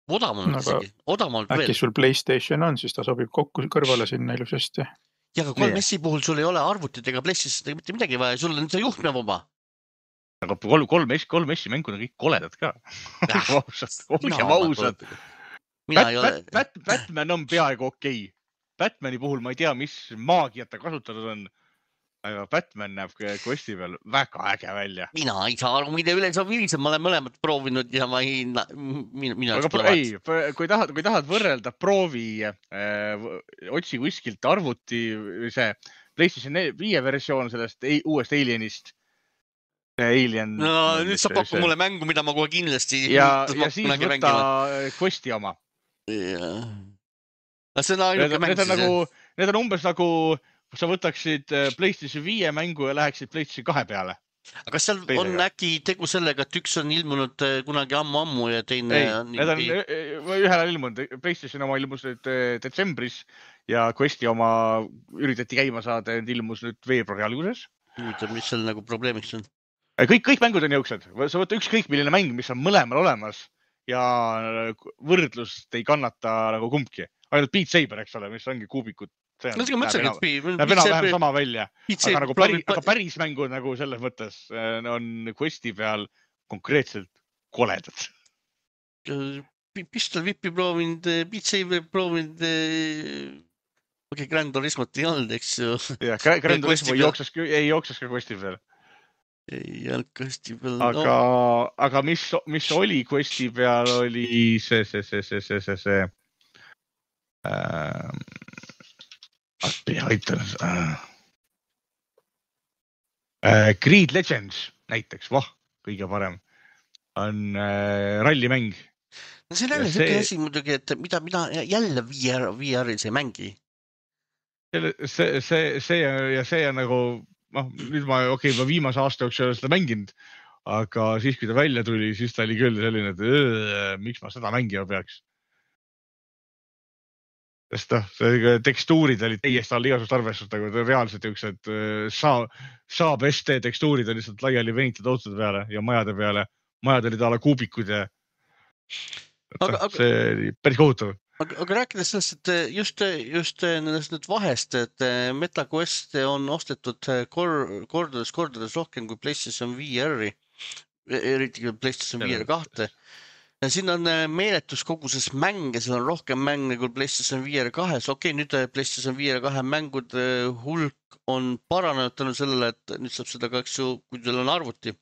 Odavamalt isegi. Odavamalt veel. Äkki sul PlayStation on, siis ta sobib kokku kõrvale sinna ilusasti. Ja aga 3 S-i puhul sul ei ole arvutit ega PlayStation ega mitte midagi vaja, sul on see juhtmevaba. Aga 3 S-i mängud on kõik koledad ka. Ausad. Batman on peaaegu okei. Batmani puhul ma ei tea, mis maagiat ta kasutatud on. Aga Batman näeb Questi peal väga äge välja. Mina ei saa aru, mida üle saab virisem. Ma olen mõlemad proovinud ja ma ei... Kui tahad võrrelda proovi, otsi kuskilt arvuti, see PlayStation 5 versioon sellest uuest Alienist. Alien. No nüüd sa pakku mulle mängu, mida ma kohe kindlasti... Ja siis võtta Questi oma. See on ainuke mäng siis. Need on umbes nagu... sa võtaksid PlayStation 5 mängu ja läheksid PlayStation 2 peale. Aga seal on äkki tegu sellega, et üks on ilmunud kunagi ammu ja teine... Need on ühel ilmunud. PlayStation oma ilmus nüüd detsembris ja Questi oma üritati käima saada, et ilmus nüüd veebruari alguses. Mis seal nagu probleemiks on? Kõik mängud on jõuksed. Sa võtta ükskõik milline mäng, mis on mõlemal olemas ja võrdlust ei kannata nagu kumbki. Ainult Beat Saber, eks ole, mis ongi kuubikud. Näeb enam-vähem sama välja. Aga päris mängud nagu selles mõttes on Questi peal konkreetselt koledad. Pistol Whipi proovinud, Beat Saber proovinud, Grand Turismot ei olnud, eks ju. Grand Turismo ei jookses ka Questi peal. Ei olnud Questi peal. Aga mis oli Questi peal, oli see Creed Legends näiteks, kõige parem on rallimäng. No see on jälle selline asi muidugi, et mida jälle VR-is ei mängi. See on nagu, nüüd ma viimase aasta jooksul ei ole seda mänginud, aga siis kui ta välja tuli, siis ta oli küll selline, et miks ma seda mängima peaks. Sest tekstuurid olid täiesti all igasugust arvestust, nagu reaalselt jõuksed saab ST tekstuurid on lihtsalt laiali venitud autode peale ja majade peale. Majad olid ala kuubikud ja see oli päris kohutav. Aga rääkides sellest, et just nendest vahest, et MetaQuest on ostetud kordades rohkem kui PlayStation VR-i, eriti kui PlayStation VR 2. Ja siin on meeletus koguses mänge, seal on rohkem mänge kui PlayStation VR 2. Okei, nüüd PlayStation VR 2 mängud hulk on paranenud tänu sellele, et nüüd saab seda ka, kui teil on arvuti,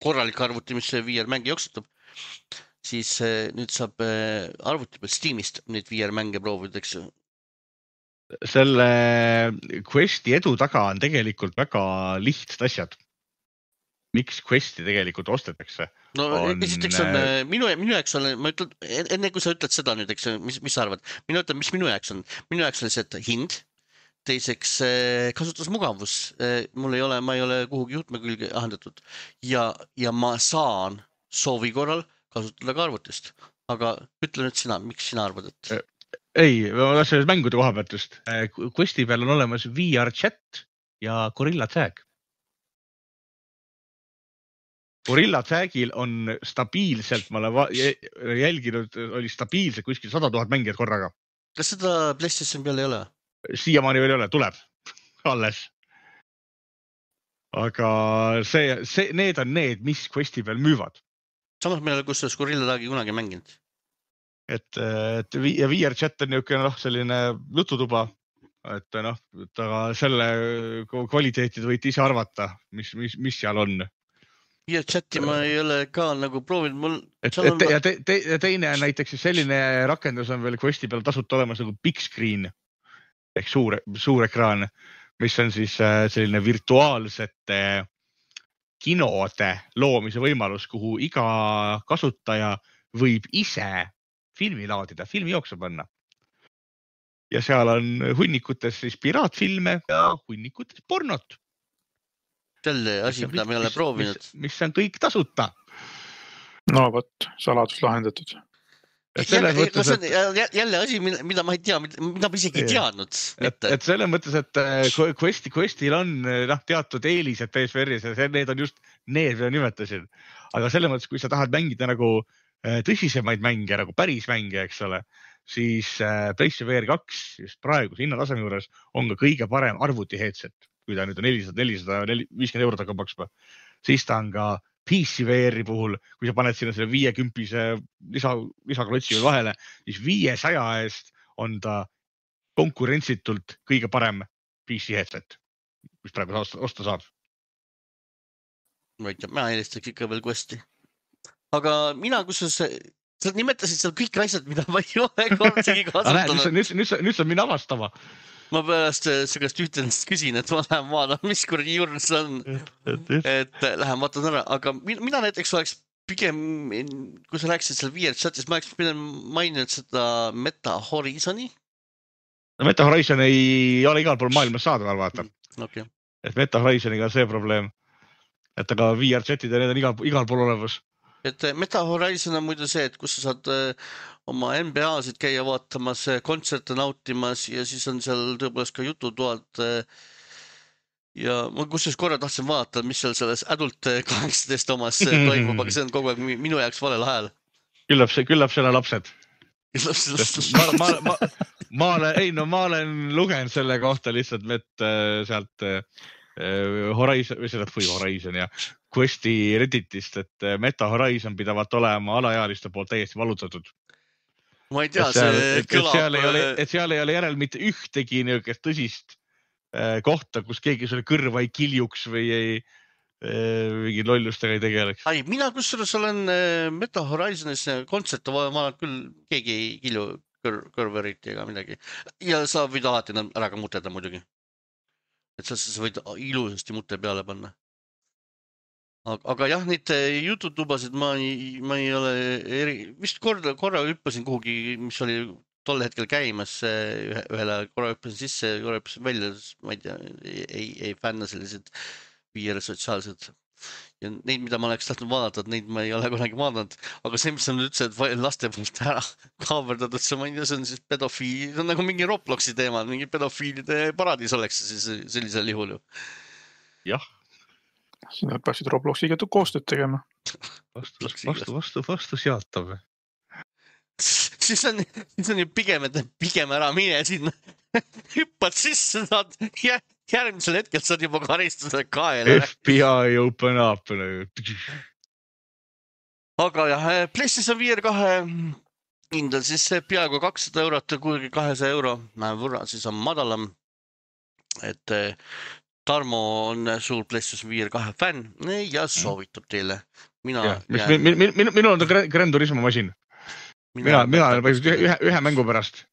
korralik arvuti, mis VR mänge jooksutab, siis nüüd saab arvuti peal Steamist neid VR mänge proovida, eks ju. Selle Questi edu taga on tegelikult väga lihtsad asjad. Miks Questi tegelikult ostetakse? No esiteks on, minu jaoks on, ma ütlen, enne kui sa ütled seda nüüd, eks, mis sa arvad? Minu ütlen, mis minu jaoks on? Minu jaoks on see hind, teiseks kasutusmugavus. Ma ei ole kuhugi juhtme külge ahendatud ja ma saan soovi korral kasutada ka arvutist. Aga ütle nüüd sina, miks sina arvad, et... Ei, ma tahan mängude koha pealt just. Questi peal on olemas VR chat ja Gorilla Tag. Gorilla Tagil on stabiilselt, ma olen jälginud, oli stabiilselt kuskil 100 000 mängijad korraga. Kas seda PlayStation peal ei ole? Siiamaani veel ei ole, tuleb alles. Aga need on need, mis Questi peal müüvad. Samas meil kus Gorilla Tagi kunagi mänginud. Et VR chat on niisugune selline jututuba, et aga selle kvaliteetid võite ise arvata, mis seal on. Ja chati ma ei ole ka nagu proovinud. Ja teine on näiteks selline rakendus on veel Questi peal tasuta olemas nagu Big Screen ehk suur ekraan, mis on siis selline virtuaalsete kinode loomise võimalus, kuhu iga kasutaja võib ise filmi laadida, filmi jooksu panna. Ja seal on hunnikutes siis piraatfilme ja hunnikutes pornot. Selle asi, mida me ei ole proovinud. Mis on kõik tasuta. No võt, saladus lahendatud. Jälle asi, mida ma ei tea, mida ma isegi ei teadnud. Et selles mõttes, et Questil on teatud eelised PSVR-is ja need on just need, mida nimetasin. Aga selles mõttes, kui sa tahad mängida nagu tõsisemaid mänge, nagu päris mänge, eks ole, siis PlayStation VR 2 just praegu hinnataseme juures on ka kõige parem arvuti headset. Kui ta nüüd on 450 € hakkab maksma, siis ta on ka PC VR-i puhul, kui sa paned sinna selle 50-se lisaklotsi vahele, siis 500 eest on ta konkurentsitult kõige parem PC headset, mis praegu osta saab. Ma ei tea, ma eelistaks ikka veel Questi. Aga mina, kus sa nimetasid seal kõik asjad, mida ma ei ole kordsegi kasutanud. Nüüd sa minna avastama. Ma pärast sellest ühtenest küsin, et ma lähen vaatan, mis kuradi juures on. Et lähen vaatan ära. Aga mina näiteks oleks pigem, kui sa rääkisid seal VR-chatis, ma oleks pigem maininud seda Meta Horizoni. Meta Horizon ei ole igal pool maailmas saadaval, vaata. Okay. Et Meta Horizoniga on see probleem. Et aga VR-chatid ja need on igal pool olemas. Et Meta Horizon on muidu see, et kus sa saad oma NBA-sid käia vaatamas, kontserte nautimas ja siis on seal tõepoolest ka jututoad. Ja ma kusjuures korra tahtsin vaadata, mis seal selles Adult 18 omas toimub, aga see on kogu aeg minu jaoks valel ajal. Küllap selle lapsed. Ma olen lugenud selle kohta lihtsalt sealt Horizon ja Questi Redditist, et Meta Horizon pidavat olema alaealiste poolt täiesti valutatud. Ma ei tea, see kõlab... Et seal ei ole järel mitte ühtegi niisugust tõsist kohta, kus keegi sulle kõrva ei kiljuks või mingi lollustega ei tegeleks. Mina kusjuures olen Meta Horizonis kontserte, ma olen küll keegi ei kilju kõrveriti ega midagi. Ja sa võid alati ära ka muteda muidugi. Et sa võid ilusasti mute peale panna. Aga jah, neid jututubasid ma ei ole vist korra hüppasin kuhugi, mis oli tol hetkel käimas ühele, korra hüppasin sisse, korra hüppasin välja, ma ei tea, ei fänna sellised VR sotsiaalsed. Ja neid, mida ma oleks tahtnud vaadata, neid ma ei ole kunagi vaadanud. Aga see, mis on üldse, et laste poolt ära kaaverdatud, see on siis pedofiil, see on nagu mingi Robloxi teema, mingi pedofiilide paradiis oleks siis sellisel juhul ju. Jah. Sina peaksid Robloxiga koostööd tegema. Vastu seatav. Siis on ju pigem ära mine sinna. Hüppad sisse, saad järgmisel hetkel saad juba karistuse kaela. FBI open up. Aga jah, PlayStation VR 2 hindal siis peaaegu 200 €, kuigi 200 € võrra, siis on madalam. Et Tarmo on suur PlayStation VR 2 fänn ja soovitab teile. Minul on ta Gran Turismo masin. Mina olen ühe mängu pärast.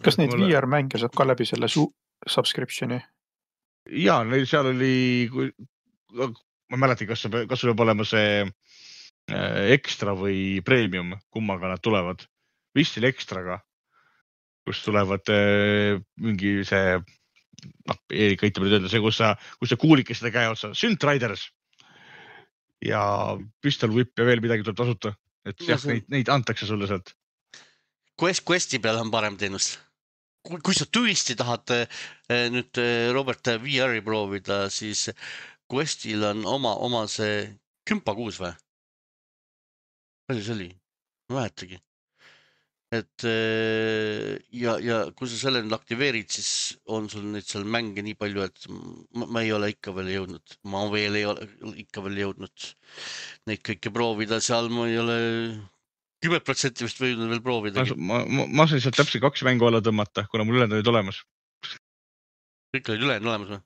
Kas neid VR-mänge saab ka läbi selle subscriptioni? Jaa, seal oli, ma mäletan, kas sul peab olema see ekstra või premium, kummaga nad tulevad. Vist oli ekstraga, kus tulevad mingi see, Eerik aitab nüüd öelda, see, kus sa kuulikes seda käe otsa, Synth Riders ja Pistol Whip ja veel midagi tuleb tasuta. Et jah, neid antakse sulle sealt. Questi peal on parem teenus. Kui sa tõesti tahad nüüd Robert VR-i proovida, siis Questil on oma see Kümpa 6 või? Palju see oli? Ma mäletagi. Et ja kui sa selle nüüd aktiveerid, siis on sul neid seal mänge nii palju, et ma ei ole ikka veel jõudnud. Ma veel ei ole ikka veel jõudnud neid kõike proovida. Seal ma ei ole 10% vist võinud veel proovida. Ma sain sealt täpselt 2 mängu alla tõmmata, kuna mul ülejäänud olid olemas. Kõik olid ülejäänud olemas või?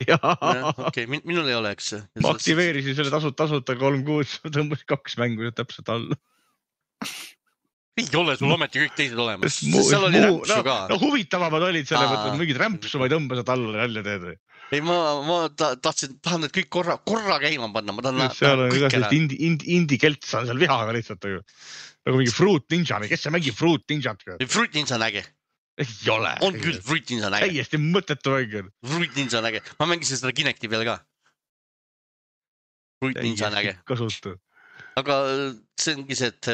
Jaa. Okei, minul ei ole, eks. Ma aktiveerisin selle tasuta 3 kuud, tõmbasin 2 mängu täpselt alla. Ei ole sul ometi kõik teised olemas. Seal oli rämpsu ka. No huvitavamad olid selle, et mingid rämpsu ma ei tõmba seda alla välja teed. Ei, ma tahan need kõik korra käima panna. Ma tahan seal on igasest indie-kelts on seal vihaga lihtsalt. Nagu mingi Fruit Ninja. Kes see mängib Fruit Ninjat? Fruit Ninja on äge. Ei ole. On küll, Fruit Ninja on äge. Täiesti mõttetu mäng. Fruit Ninja on äge. Ma mängisin seda Kinecti peal ka. Fruit Ninja on äge. Kasutu. Aga see ongi see, et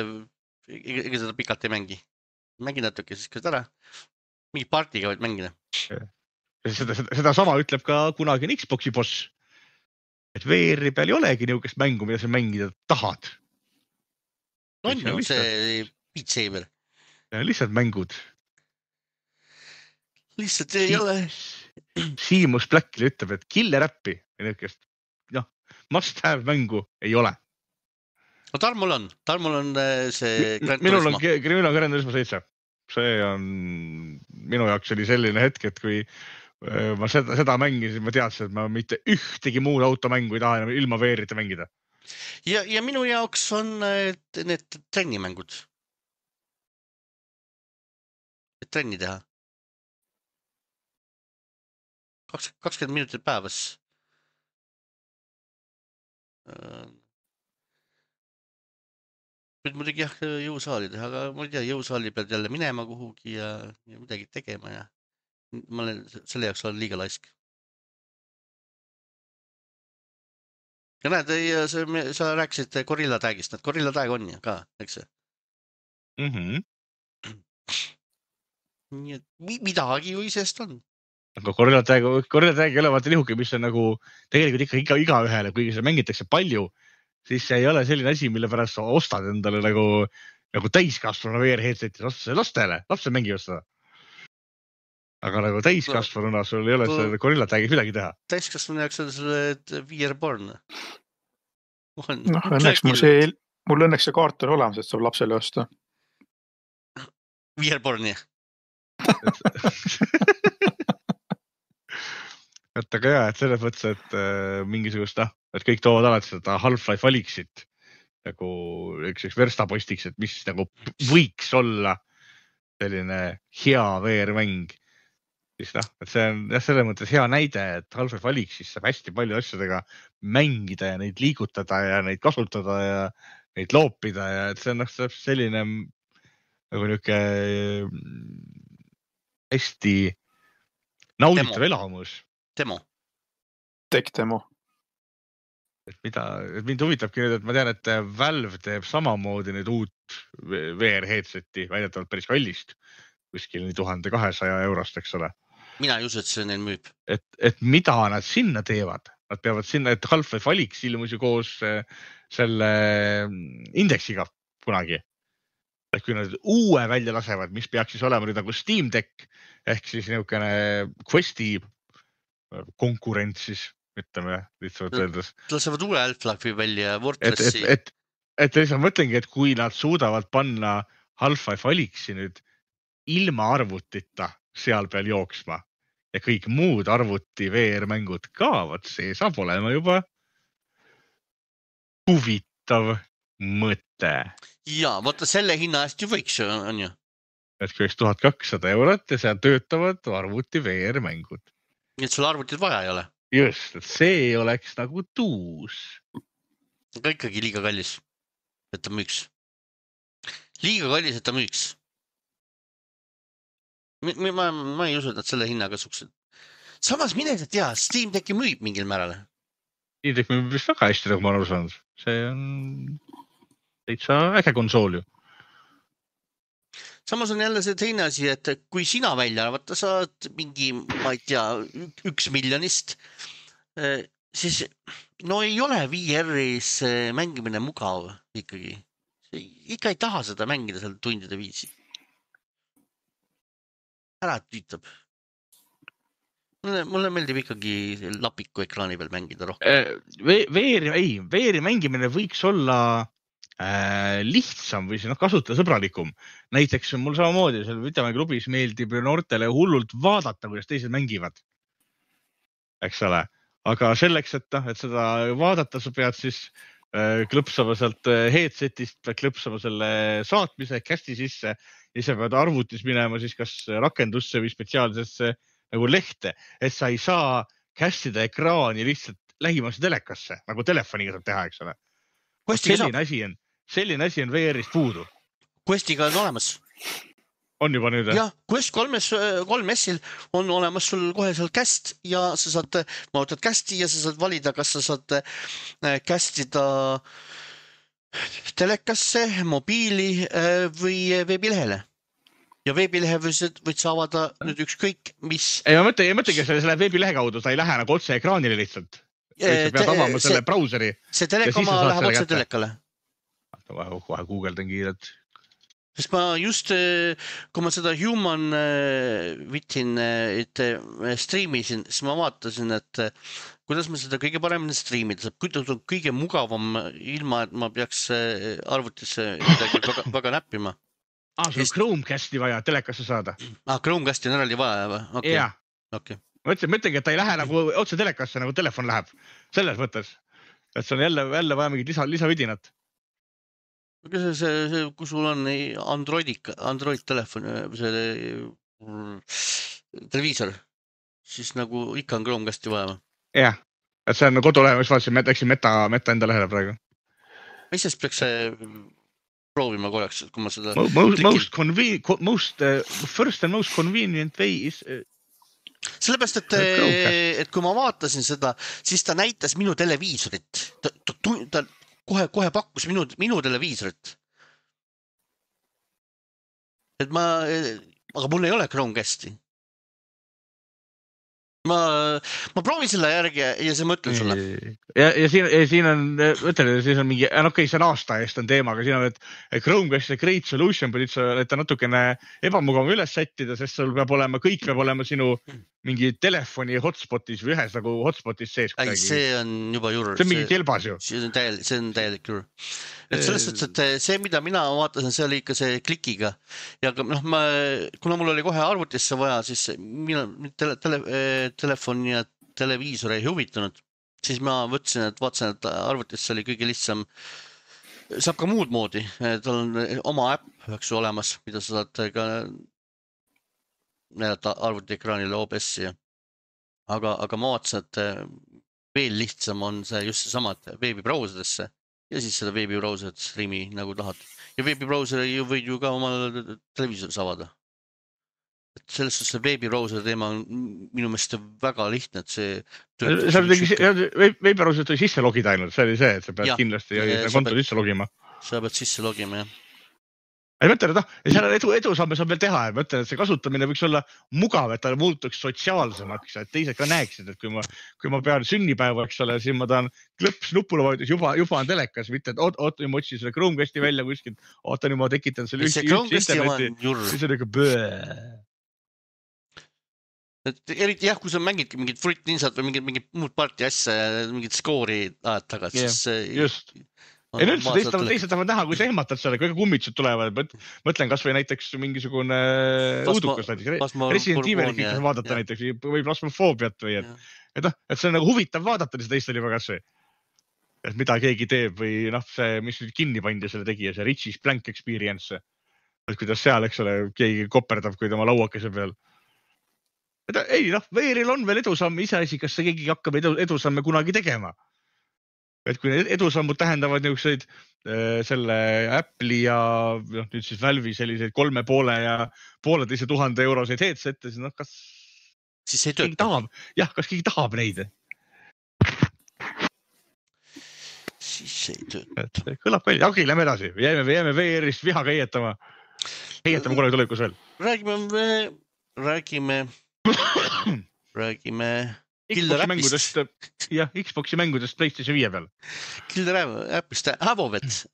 ega seda pikalt ei mängi. Mängi natuke siis ka ära. Mingi partiga võid mängida. Seda sama ütleb ka kunagine Xboxi boss. Et VR-i peal ei olegi niisugust mängu, mida sa mängida tahad. On ju see Beat Saber. Lihtsalt mängud. Lihtsalt ei ole. Seamus Blackli ütleb, et killer appi must have mängu ei ole. No Tarmul on see Minul on Gran Turismo 7. See on minu jaoks oli selline hetk, et kui ma seda mängisin, ma teadsin, et ma mitte ühtegi muud automängu ei taha enam ilma VR-ita mängida. Ja minu jaoks on need trennimängud. Et trenni teha. 20 minutit päevas. Nüüd muidugi jah jõusaali teha, aga ma ei tea, jõusaali pealt jälle minema kuhugi ja midagi tegema ja ma olen selle jaoks olen liiga laisk. Ja näed, sa rääkisid Gorilla Tagist, need Gorilla Tag on ju ka, eks see? Nii et midagi ju isest on. Aga Gorilla Tag ei ole vaata nihuke, mis on nagu tegelikult ikka igaühele, kuigi see mängitakse palju, siis see ei ole selline asi, mille pärast sa ostad endale nagu täiskasvanu VR-headsetis, ostad see lastele, lapsed mängivad seda. Aga nagu täiskasvanuna sul ei ole seda Gorilla Tagis midagi teha. Täiskasvanu jaoks on selle VR-born. Õnneks mul õnneks see kaart on olemas, et saab lapsele osta. VR-born, jah. Et aga jah, et selles mõttes, et mingisugust, et kõik toovad alati seda Half-Life Alyxit nagu üks verstapostiks, et mis nagu võiks olla selline hea VR-mäng. Siis et see on selles mõttes hea näide, et Half-Life Alyxis saab hästi palju asjadega mängida ja neid liigutada ja neid kasutada ja neid loopida ja et see on selline nagu niuke hästi nauditav elamus. Demo. Tech-demo. Et mind huvitabki nüüd, et ma tean, et Valve teeb samamoodi nüüd uut VR-headseti, väidetavalt päris kallist, kuskil 1200 eurost, eks ole. Mina ei usu, et see neil müüb. Et mida nad sinna teevad? Nad peavad sinna, et Half-Life Alyx ilmus ju koos selle indeksiga kunagi. Et kui nad uue välja lasevad, mis peaks siis olema nüüd nagu Steam Deck, ehk siis niisugune Questi konkurents siis, ütleme lihtsalt öeldes. Lasevad uue Half-Life'i välja Wordpressi. Et lihtsalt mõtlengi, et kui nad suudavad panna Half-Life Alyxi nüüd ilma arvutita seal peal jooksma ja kõik muud arvuti VR-mängud ka, võt see saab olema juba huvitav mõte. Jaa, vaata selle hinna eest ju võiks, on ju. Et kui 1200 eurot ja seal töötavad arvuti VR-mängud. Nii et sul arvutit vaja ei ole. Just, et see oleks nagu tuus. Aga ikkagi liiga kallis, et ta müüks. Liiga kallis, et ta müüks. Ma ei usu, et nad selle hinnaga suksed. Samas mine sa tea, Steam Decki müüb mingil määral. Steam Deck müüb vist väga hästi, nagu ma aru saanud. See on täitsa äge konsool ju. Samas on jälle see teine asi, et kui sina välja arvata saad mingi, ma ei tea, 1 miljonist, siis no ei ole VR-is mängimine mugav ikkagi. Ikka ei taha seda mängida seal tundide viisi. Ära tüütab. Mulle meeldib ikkagi lapiku ekraani peal mängida rohkem. VR-i mängimine võiks olla lihtsam või kasutajasõbralikum. Näiteks mul samamoodi seal videomänguklubis meeldib noortele hullult vaadata, kuidas teised mängivad. Eks ole. Aga selleks, et seda vaadata, sa pead siis klõpsama sealt headsetist, pead klõpsama selle saatmise cast'i sisse ja sa pead arvutis minema siis kas rakendusse või spetsiaalsesse nagu lehte, et sa ei saa cast'ida ekraani lihtsalt lähimasse telekasse, nagu telefoniga saab teha, eks ole. Selline asi on VR-ist puudu. Questiga on olemas. On juba nüüd? Jah, Quest 3S-il on olemas sul kohe seal cast ja sa saad, vaatad cast'i ja sa saad valida, kas sa saad cast'ida telekasse, mobiili või veebilehele. Ja veebilehe võid sa avada nüüd ükskõik, mis... Ei, ma mõtlengi, et see läheb veebilehe kaudu, ta ei lähe nagu otse ekraanile lihtsalt. Sa pead avama selle brauseri. See telekoma läheb otse telekale. Kohe Googledan kiirelt. Sest ma just, kui ma seda Human Witin streamisin, siis ma vaatasin, et kuidas ma seda kõige paremini streamida saab. Kuidas on kõige mugavam ilma, et ma peaks arvutisse midagi väga näppima. Sul on Chromecasti vaja telekasse saada. Chromecasti on eraldi vaja või? Okay. Jah. Okay. Mõtlengi, et ta ei lähe nagu otse telekasse, nagu telefon läheb. Selles mõttes. Et see on jälle vaja mingit lisavidinat. Kui sul on Android telefon, televiisor, siis nagu ikka on Chromecasti vaja. Jah, et see on kodulehe, mis vaatasin, läksin meta enda lehele praegu. Mis siis peaks proovima korraks, kui ma seda... First and most convenient way is... Sellepärast, et kui ma vaatasin seda, siis ta näitas minu televiisorit. Ta kohe pakkus minu televiisorit. Aga mul ei ole Chromecasti. Ma proovin selle järgi ja see mõtlen sulle. Ja siin on, mõtlen, siis on mingi, okei, see on aasta eest on teema, aga siin on, et Chromecast on great solution, et ta natukene ebamugav üles sättida, sest sul kõik peab olema sinu mingi telefoni hotspotis või ühes nagu hotspotis sees. See on juba jurr. See on mingi kelbas ju. See on täielik jurr. Et selles suhtes, et see, mida mina vaatasin, see oli ikka see klikiga. Ja kuna mul oli kohe arvutisse vaja, siis telefon ja televiisor ei huvitanud, siis ma võtsin, et vaatasin, et arvutisse oli kõige lihtsam. Saab ka muud moodi. Tal on oma äpp olemas, mida sa saad ka näidata arvutiekraanile OBS-i. Aga ma vaatasin, et veel lihtsam on see just seesama, et veebibrauserisse ja siis seda veebibrauserit streami nagu tahad. Ja veebibrauseri võid ju ka oma televiisoris avada. Et selles suhtes see veebibrauser teema on minu meelest väga lihtne, et see... Veebibrauserit oli sisse logida ainult, see oli see, et sa pead kindlasti konto sisse logima. Sa pead sisse logima, jah. Ei mõtlen, et seal edusamme saab veel teha, et mõtlen, et see kasutamine võiks olla mugav, et ta muutuks sotsiaalsemaks, et teised ka näeksid, et kui ma pean sünnipäeva, eks ole, siis ma tahan klõps nupule vajutus, juba on telekas, mitte, et oota, ma otsin selle Chromecasti välja kuskilt, oota, nüüd ma tekitan selle üks interneti, siis on ikka böö. Eriti jah, kui sa mängidki mingid Fruit Ninjat või mingid muud parti asja, mingid skoori ajad tagasi, siis... Just. Ei üldse, teised tahavad näha, kui sa ehmatad selle, kui kummitsused tulevad. Mõtlen kas või näiteks mingisugune uudukas näiteks. Resident Evil'i kõik vaadata näiteks või plasmofoobiat või et see on nagu huvitav vaadata seda teistel juba kas või. Et mida keegi teeb või see, mis kinni pandi selle tegija, see Richie's Blank Experience. Et kuidas seal, eks ole, keegi koperdab, kui tema lauakese peal. Ei, VR-il on veel edusamm iseasi, kas see keegi hakkab edusamme kunagi tegema. Et kui edusammud tähendavad niisuguseid selle Apple'i ja nüüd siis Valve'i selliseid 3,5 ja 1,5 euroseid headsette, siis kas siis ei tööta. Kas keegi tahab neid? Siis ei tööta. Kõlab välja. Okei, lähme edasi. Jääme VR-ist vihaga heietama. Heietame kunagi tulevikus veel. Räägime Xboxi mängudest PlayStation 5 peal. Killer Appist Avovet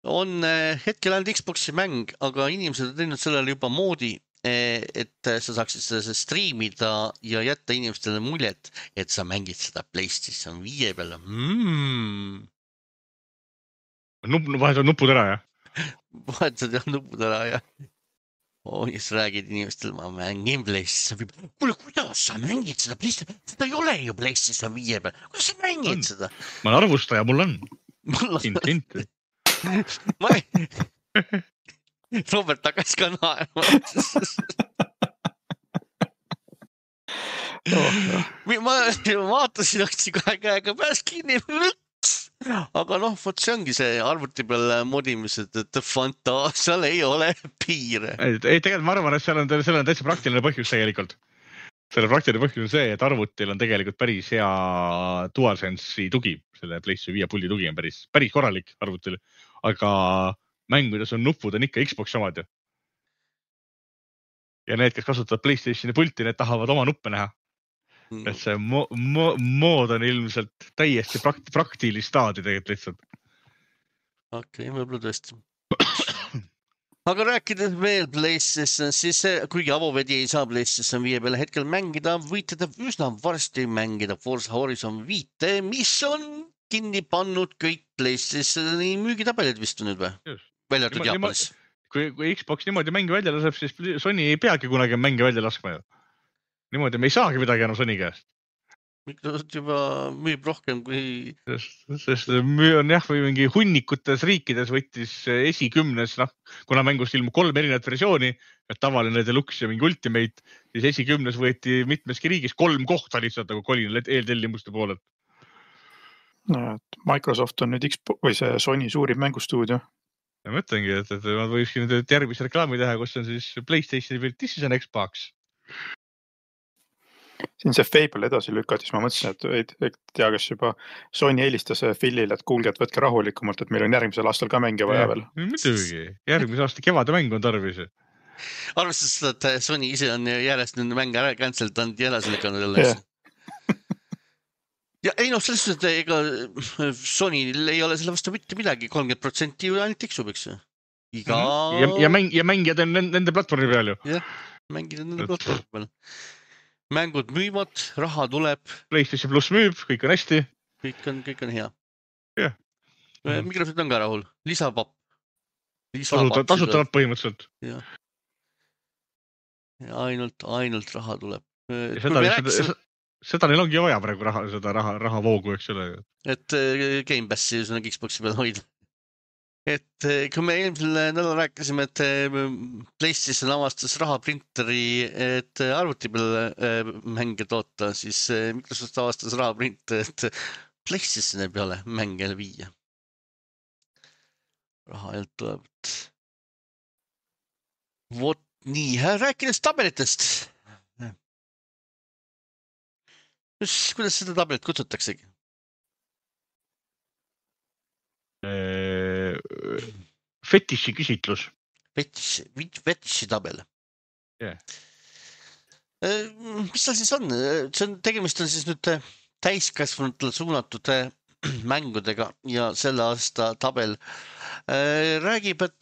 on hetkel ainult Xboxi mäng, aga inimesed on teinud sellele juba moodi, et sa saaksid seda streamida ja jätta inimestele muljet, et sa mängid seda PlayStation 5 peale. Vahetad nupud ära, jah? Vahetad nupud ära, jah. ja siis räägid inimestel, ma mängin PlayStation 5. Kuule, kuidas sa mängid seda PlayStation? Seda ei ole ju PlayStation 5 peal. Kuidas sa mängid seda? Ma olen arvustaja, mul on. Hint. Robert hakkas ka naerma. Ma vaatasin, hoidsin kohe käega pääs kinni. Aga noh, vot see ongi see arvuti peal modimised, et fantaasial ei ole piire. Ei, tegelikult ma arvan, et seal on täitsa praktiline põhjus tegelikult. Selle praktiline põhjus on see, et arvutil on tegelikult päris hea DualSense'i tugi. Selle PlayStation 5 puldi tugi on päris korralik arvutil. Aga mängudes on nupud on ikka Xbox omad ju. Ja need, kes kasutavad PlayStationi pulti, need tahavad oma nuppe näha. Et see mood on ilmselt täiesti praktilist staadi tegelikult lihtsalt. Okei, võib-olla tõesti. Aga rääkides veel PlayStation, siis kuigi avovedi ei saa PlayStation 5 peale hetkel mängida, võite te üsna varsti mängida Forza Horizon 5, mis on kinni pannud kõik PlayStationi müügitabelid vist nüüd või? Välja arvatud Jaapanis. Kui Xbox niimoodi mängi välja laseb, siis Sony ei peagi kunagi mängi välja laskma ju. Niimoodi me ei saagi midagi enam Sony käest. Microsoft juba müüb rohkem kui... Sest on jah, või mingi hunnikutes riikides võttis esikümnes, kuna mängust ilmub 3 erinevat versiooni, et tavaline Deluxe ja mingi Ultimate, siis esikümnes võeti mitmeski riigis 3 kohta lihtsalt nagu kolin eeltellimuste poolelt. No, Microsoft on nüüd või see Sony suurim mängustuudio. Ja mõtlengi, et ma võiksin nüüd järgmise reklaami teha, kus on siis PlayStationi peal, this is an Xbox. Siin see Fable edasi lükati, siis ma mõtlesin, et ei tea, kas juba Sony helistas Philile, et kuulge, et võtke rahulikumalt, et meil on järgmisel aastal ka mänge vaja veel. Muidugi, järgmise aasta kevade mäng on tarvis. Arvestades seda, et Sony ise on järjest nüüd mänge ära canceldanud ja edasi lükanud jälle. Ja ei noh, selles suhtes, et ega Sonyl ei ole selle vastu mitte midagi, 30% ju ainult tiksub, eks ju. Ja mängijad on nende platvormi peal ju. Jah, mängijad on nende platvormi peal. Mängud müüvad, raha tuleb. PlayStation Plus müüb, kõik on hästi. Kõik on hea. Jah. Microsoft on ka rahul. Lisapapp. Tasutavad põhimõtteliselt. Jah. Ja ainult raha tuleb. Seda neil ongi vaja praegu raha voogu, eks ole. Et Game Passi Xboxi peal hoida. Et kui me eelmisel nädal rääkisime, et PlayStation avastas rahaprinteri, et arvuti peal mänge toota, siis Microsoft avastas rahaprinteri, et PlayStationi peale mänge viia. Raha jält tuleb. Vot nii, rääkides tabelitest. Kuidas seda tabelit kutsutaksegi? Fetiši küsitlus. Fetiši tabel. Yeah. Mis seal siis on? Tegemist on siis nüüd täiskasvanutele suunatud mängudega ja selle aasta tabel räägib, et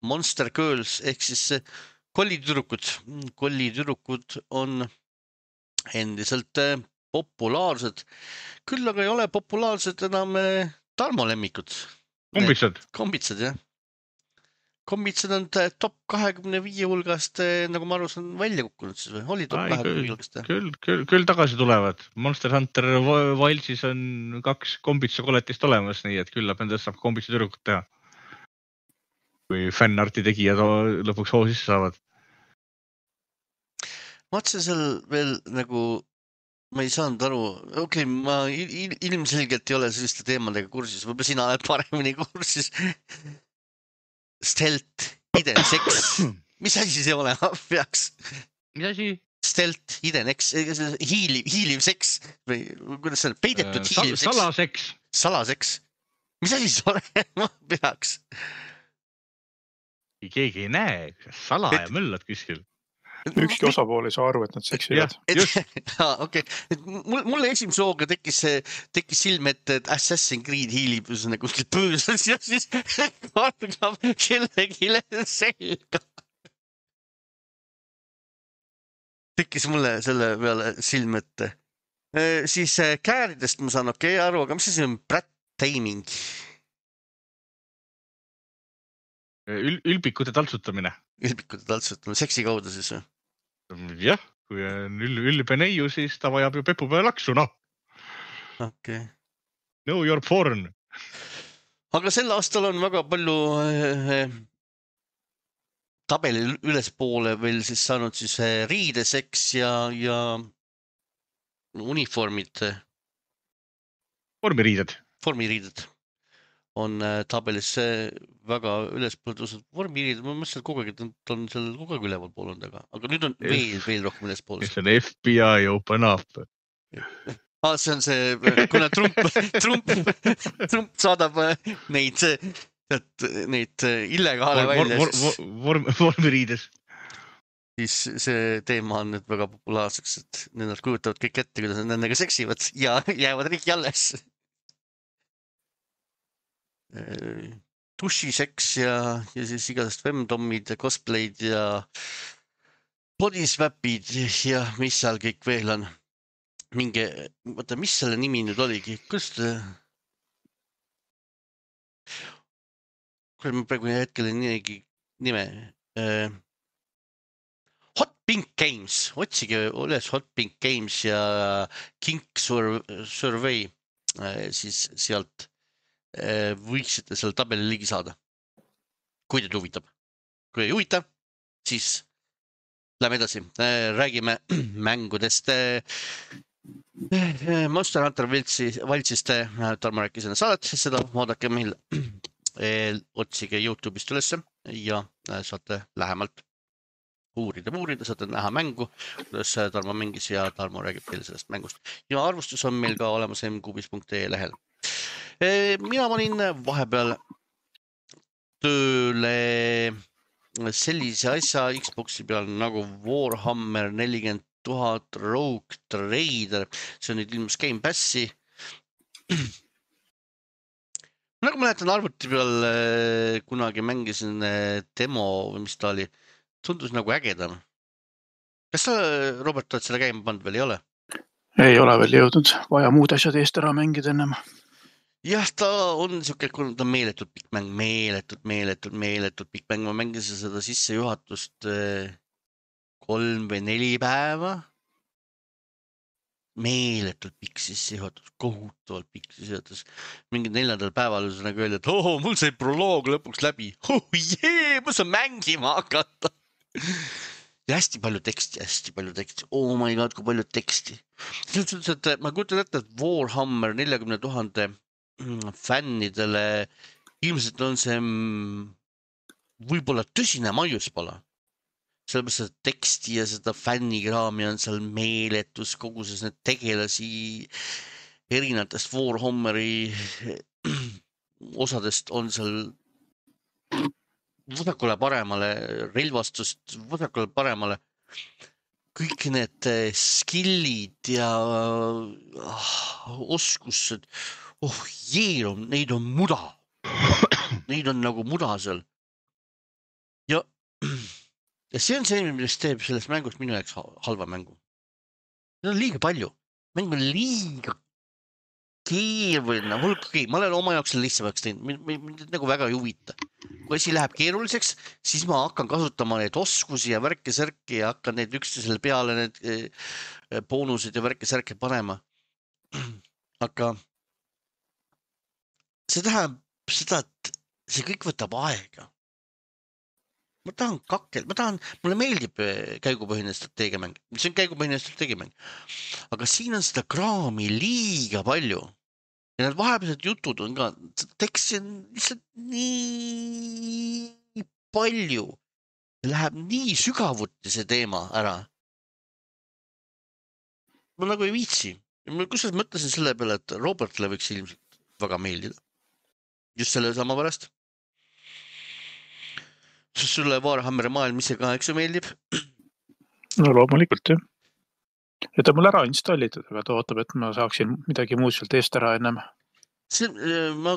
Monster Girls ehk siis kollitüdrukud on endiselt populaarsed. Küll aga ei ole populaarsed enam Tarmo lemmikud. Kombitsad, jah. Kombitsad on top 25 hulgast, nagu ma arvan, on välja kukkunud siis või? Oli top 25 hulgast? Küll tagasi tulevad. Monster Hunter Wildsis on 2 kombitsa koletist olemas, nii et küllap endast saab kombitsa tüdrukut teha. Kui fännarti tegijad lõpuks hoo sisse saavad. Ma otsin seal veel nagu... Ma ei saanud aru, ma ilmselgelt ei ole selliste teemadega kursis, võib-olla sina oled paremini kursis. Stealth, hidden sex, mis asi see olema peaks? Mis asi? Stealth, hidden sex, hiiliv seks või kuidas see on, peidetud hiiliv seks? Salaseks. Mis asi see olema peaks? Keegi ei näe, salaja möllad kuskil. Ükski osapool ei saa aru, et nad seksivad. Okay. Mulle esimese hooga tekkis silme, et Assassin's Creed hiilib kuskil pöösas ja siis vaatab kellegi selga. Tekkis mulle selle peale silme ette. Siis kääridest ma saan aru, aga mis see on Brad Taming? Ülbikute taltsutamine. Ülbikute taltsutamine, seksi kaudu siis või? Jah, kui on ülbe neiu, siis ta vajab ju pepu peale laksu, noh. Okay. Know your porn. Aga sel aastal on väga palju tabeli ülespoole veel siis saanud siis riideseks ja uniformid. Vormiriided on tabelis väga ülespool tõusnud. Vormiriided, ma mõtlesin kogu aeg, et ta on seal kogu aeg üleval pool olnud, aga nüüd on veel rohkem ülespool. See on FBI open up. See on see, kuna Trump saadab neid illegaale välja. Vormiriides. Siis see teema on nüüd väga populaarseks, et nad kujutavad kõik ette, kuidas nad nendega seksivad ja jäävad riigi alles. Dušiseks ja siis igasest femdommid ja cosplay'd ja bodyswapid ja mis seal kõik veel on. Mingi, vaata, mis selle nimi nüüd oligi? Kus ta? Kuule, ma praegu hetkel nime. Hot Pink Games. Otsige üles Hot Pink Games ja Kink Survey. Siis sealt võiksite selle tabeli ligi saada. Kui teid huvitab. Kui ei huvita, siis lähme edasi. Räägime mängudest. Monster Hunter valtsist Tarmo rääkis enne saadet, seda vaadake meil. Otsige YouTube'ist ülesse ja saate lähemalt uurida, saate näha mängu, kuidas Tarmo mängis ja Tarmo räägib teile sellest mängust. Ja arvustus on meil ka olemas mqbis.ee lehel. Mina panin vahepeal tööle sellise asja Xbox'i peal nagu Warhammer 40 000 Rogue Trader. See on nüüd ilmus Game Passi. Nagu mäletan arvuti peal kunagi mängisin demo või mis ta oli. Tundus nagu ägedam. Kas sa, Robert, oled selle käima pannud veel, ei ole? Ei ole veel jõudnud. Vaja muud asjad eest ära mängida ennem. Jah, ta on siuke, ta on meeletult pikk mäng, meeletult pikk mäng. Ma mängisin seda sissejuhatust 3 või 4 päeva. Meeletult pikk sissejuhatus, kohutavalt pikk sissejuhatus. Mingid 4. päeval nagu öeldi, et mul sai proloog lõpuks läbi. Ma saan mängima hakata. Ja hästi palju teksti. Oh my god, kui palju teksti. Ma kujutan ette, et Warhammer 40 000 fännidele ilmselt on see võib-olla tõsine maiuspala. Sellepärast seda teksti ja seda fännikraami on seal meeletus koguses need tegelasi erinevatest Warhammeri osadest on seal vasakule paremale relvastust, vasakule paremale kõik need skillid ja oskused, neid on muda. Neid on nagu muda seal. Ja see on see, mis teeb sellest mängust minu jaoks halva mängu. Seda on liiga palju. Mäng on liiga keeruline. Ma olen oma jaoks selle lihtsamaks teinud. Mind nagu väga ei huvita. Kui asi läheb keeruliseks, siis ma hakkan kasutama neid oskusi ja värke-särki ja hakkan neid üksteisele peale need boonused ja värke-särke panema. Aga see tähendab seda, et see kõik võtab aega. Mulle meeldib käigupõhine strateegiamäng. See on käigupõhine strateegiamäng. Aga siin on seda kraami liiga palju. Ja need vahepealsed jutud on ka, teksti on lihtsalt nii palju. Läheb nii sügavuti see teema ära. Ma nagu ei viitsi. Kusjuures mõtlesin selle peale, et Robertile võiks ilmselt väga meeldida. Just selle sama pärast. Sulle Warhammeri maailm ise ka, eks ju meeldib? No loomulikult, jah. Ja ta mul ära installitud, aga ta ootab, et ma saaksin midagi muud sealt eest ära ennem. Ma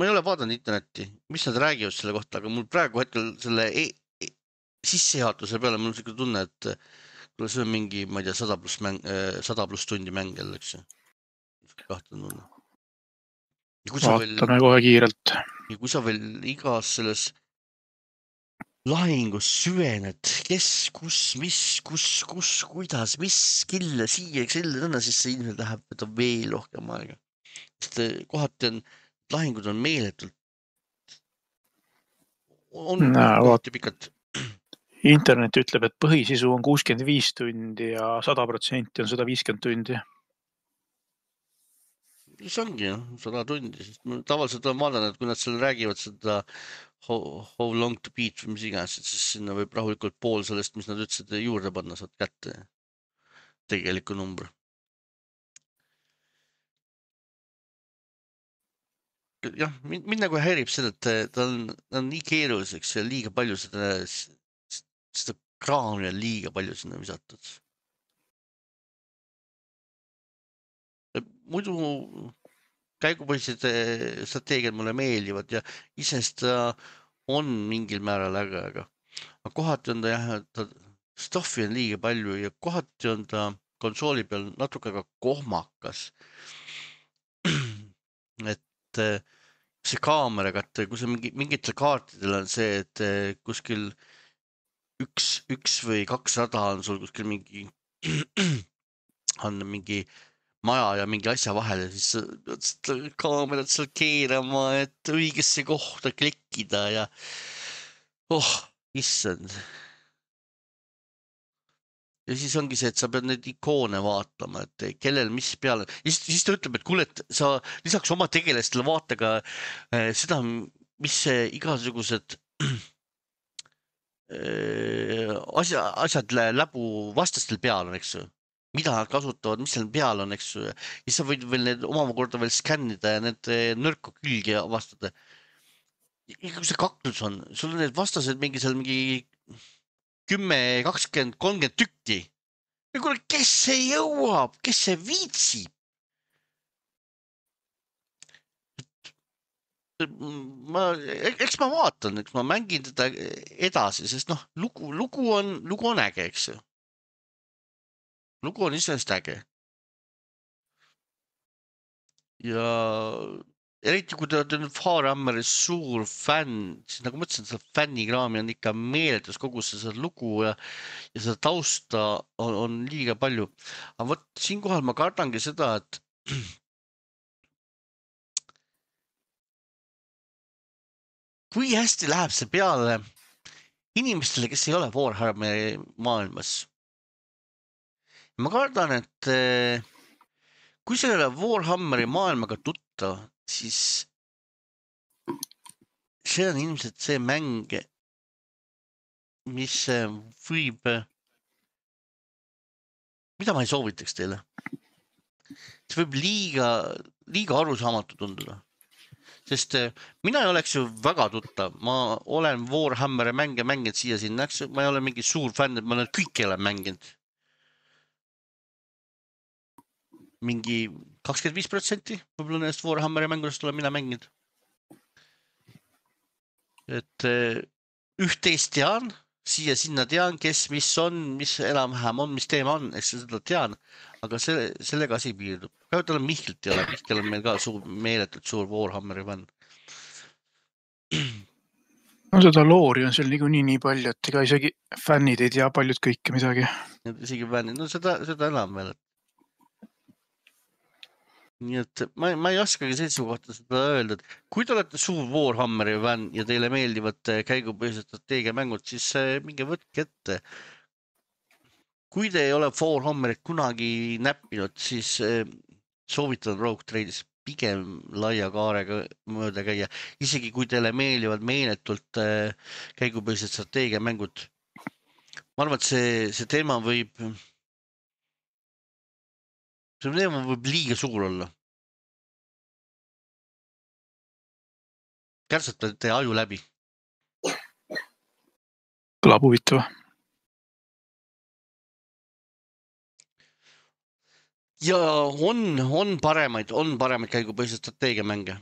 ei ole vaadanud internetti, mis nad räägivad selle kohta, aga mul praegu hetkel selle sissejuhatuse peale mul on selline tunne, et see on mingi, ma ei tea, 100 plus tundi mäng jälle, eks ju. Vaatame kohe kiirelt. Ja kui sa veel igas selles lahingus süvened, kes, kus, mis, kuidas, mis kille siia, kelle tõnna, siis see ilmselt läheb, võtab veel rohkem aega. Sest kohati on, lahingud on meeletult, on kohati pikalt. Internet ütleb, et põhisisu on 65 tundi ja 100% on 150 tundi. See ongi 100 tundi, sest tavaliselt on vaadanud, kui nad seal räägivad seda how long to beat või mis iganes, siis sinna võib rahulikult pool sellest, mis nad ütlesid, juurde panna, saad kätte tegeliku numbri. Jah, mind nagu häirib seda, et ta on nii keeruliseks ja liiga palju seda kraami on liiga palju sinna visatud. Muidu käigupõhised strateegiad mulle meeldivad ja isest on mingil määral äge, aga kohati on ta jah, stoffi on liiga palju ja kohati on ta konsooli peal natuke ka kohmakas. Et see kaameraga, et kui see mingitel kaartidel on see, et kuskil üks või 2 rada on sul kuskil on mingi maja ja mingi asja vahele, siis pead kaamerat seal keerama, et õigesse kohta klikkida ja issand. Ja siis ongi see, et sa pead neid ikoone vaatama, et kellel mis peal. Siis ta ütleb, et kuule, et sa lisaks oma tegelastele vaata ka seda, mis igasugused asjad läbu vastastel peal on, eks ju. Mida nad kasutavad, mis seal peal on, eks ju. Ja siis sa võid veel need omakorda veel skännida ja need nõrku külgi avastada. Kui see kaklus on, sul on need vastased mingi 10, 20, 30 tükki. Ja kuule, kes see jõuab, kes see viitsib? Eks ma vaatan, eks ma mängin teda edasi, sest lugu on äge, eks ju. Lugu on iseenesest äge. Ja eriti kui te olete nüüd Warhammeri suur fänn, siis nagu ma ütlesin, seda fännikraami on ikka meeletus kogus seda lugu ja seda tausta on liiga palju. Aga vot siinkohal ma kardangi seda, et kui hästi läheb see peale inimestele, kes ei ole Warhammeri maailmas. Ma kardan, et kui sa ei ole Warhammeri maailmaga tuttav, siis see on ilmselt see mäng, mis võib, mida ma ei soovitaks teile. See võib liiga arusaamatu tunduda. Sest mina ei oleks ju väga tuttav, ma olen Warhammeri mänge mänginud siia-sinna, ma ei ole mingi suur fänn, et ma olen kõik ei ole mänginud. Mingi 25% võib-olla nendest Warhammeri mängudest olen mina mänginud. Et üht-teist tean, siia-sinna tean, kes, mis on, mis enam-vähem on, mis teema on, eks seda tean, aga sellega asi piirdub. Ka tal on Mihklit ei ole, Mihkel on meil ka meeletult suur Warhammeri fänn. No seda loori on seal niikuinii nii palju, et ega isegi fännid ei tea paljud kõike midagi. Isegi fännid, no seda enam veel. Nii et ma ei oskagi seisukohta seda öelda, et kui te olete suur Warhammeri fänn ja teile meeldivad käigupõhised strateegiamängud, siis minge võtke ette. Kui te ei ole Warhammerit kunagi näppinud, siis soovitan Rogue Trade'is pigem laia kaarega mööda käia. Isegi kui teile meeldivad meeletult käigupõhised strateegiamängud. Ma arvan, et see teema võib liiga suur olla. Kärsatab teie aju läbi. Kõlab huvitav. Ja on paremaid käigupõhised strateegiamänge.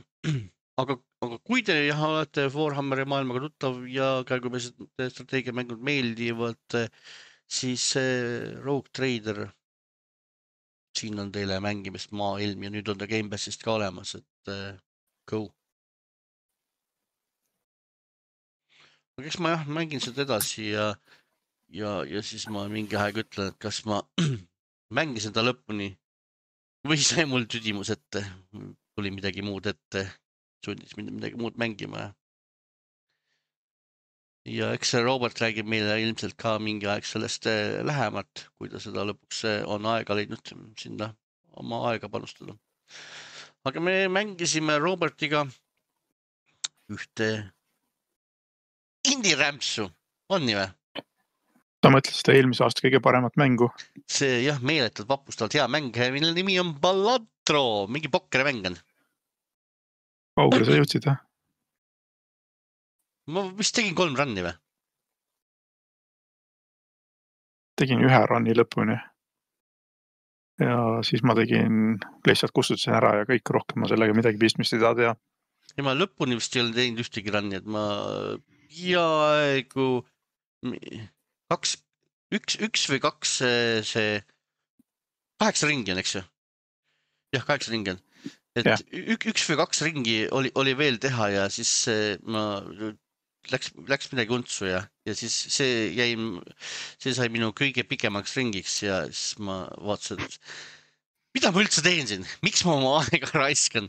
Aga kui te olete Warhammeri maailmaga tuttav ja käigupõhised strateegiamängud meeldivad, siis Rogue Trader, siin on teile mängimist maailm ja nüüd on ta Gamepassist ka olemas, et go. Eks ma jah, mängin seda edasi ja siis ma mingi aeg ütlen, et kas ma mängisin ta lõpuni või sai mul tüdimus ette, tuli midagi muud ette, sundis mind midagi muud mängima. Ja eks see Robert räägib meile ilmselt ka mingi aeg sellest lähemalt, kui ta seda lõpuks on aega leidnud sinna oma aega panustada. Aga me mängisime Robertiga ühte indie-rämpsu, on nii või? Ta mõtles seda eelmise aasta kõige paremat mängu. See jah, meeletult vapustavalt hea mäng, mille nimi on Balatro, mingi pokkerimäng on. Kaugele sa jõudsid, jah? Ma vist tegin 3 runni või? Tegin 1 runni lõpuni. Ja siis ma tegin, lihtsalt kustutasin ära ja kõik rohkem ma sellega midagi pistmist ei taha teha. Ja ma lõpuni vist ei ole teinud ühtegi runni, et ma peaaegu 1 või 2 see 8 ringi on, eks ju? Jah, 8 ringi on. Et 1 või 2 ringi oli veel teha ja siis ma läks midagi untsu ja siis see sai minu kõige pikemaks ringiks ja siis ma vaatasin, et mida ma üldse teen siin? Miks ma oma aega raiskan?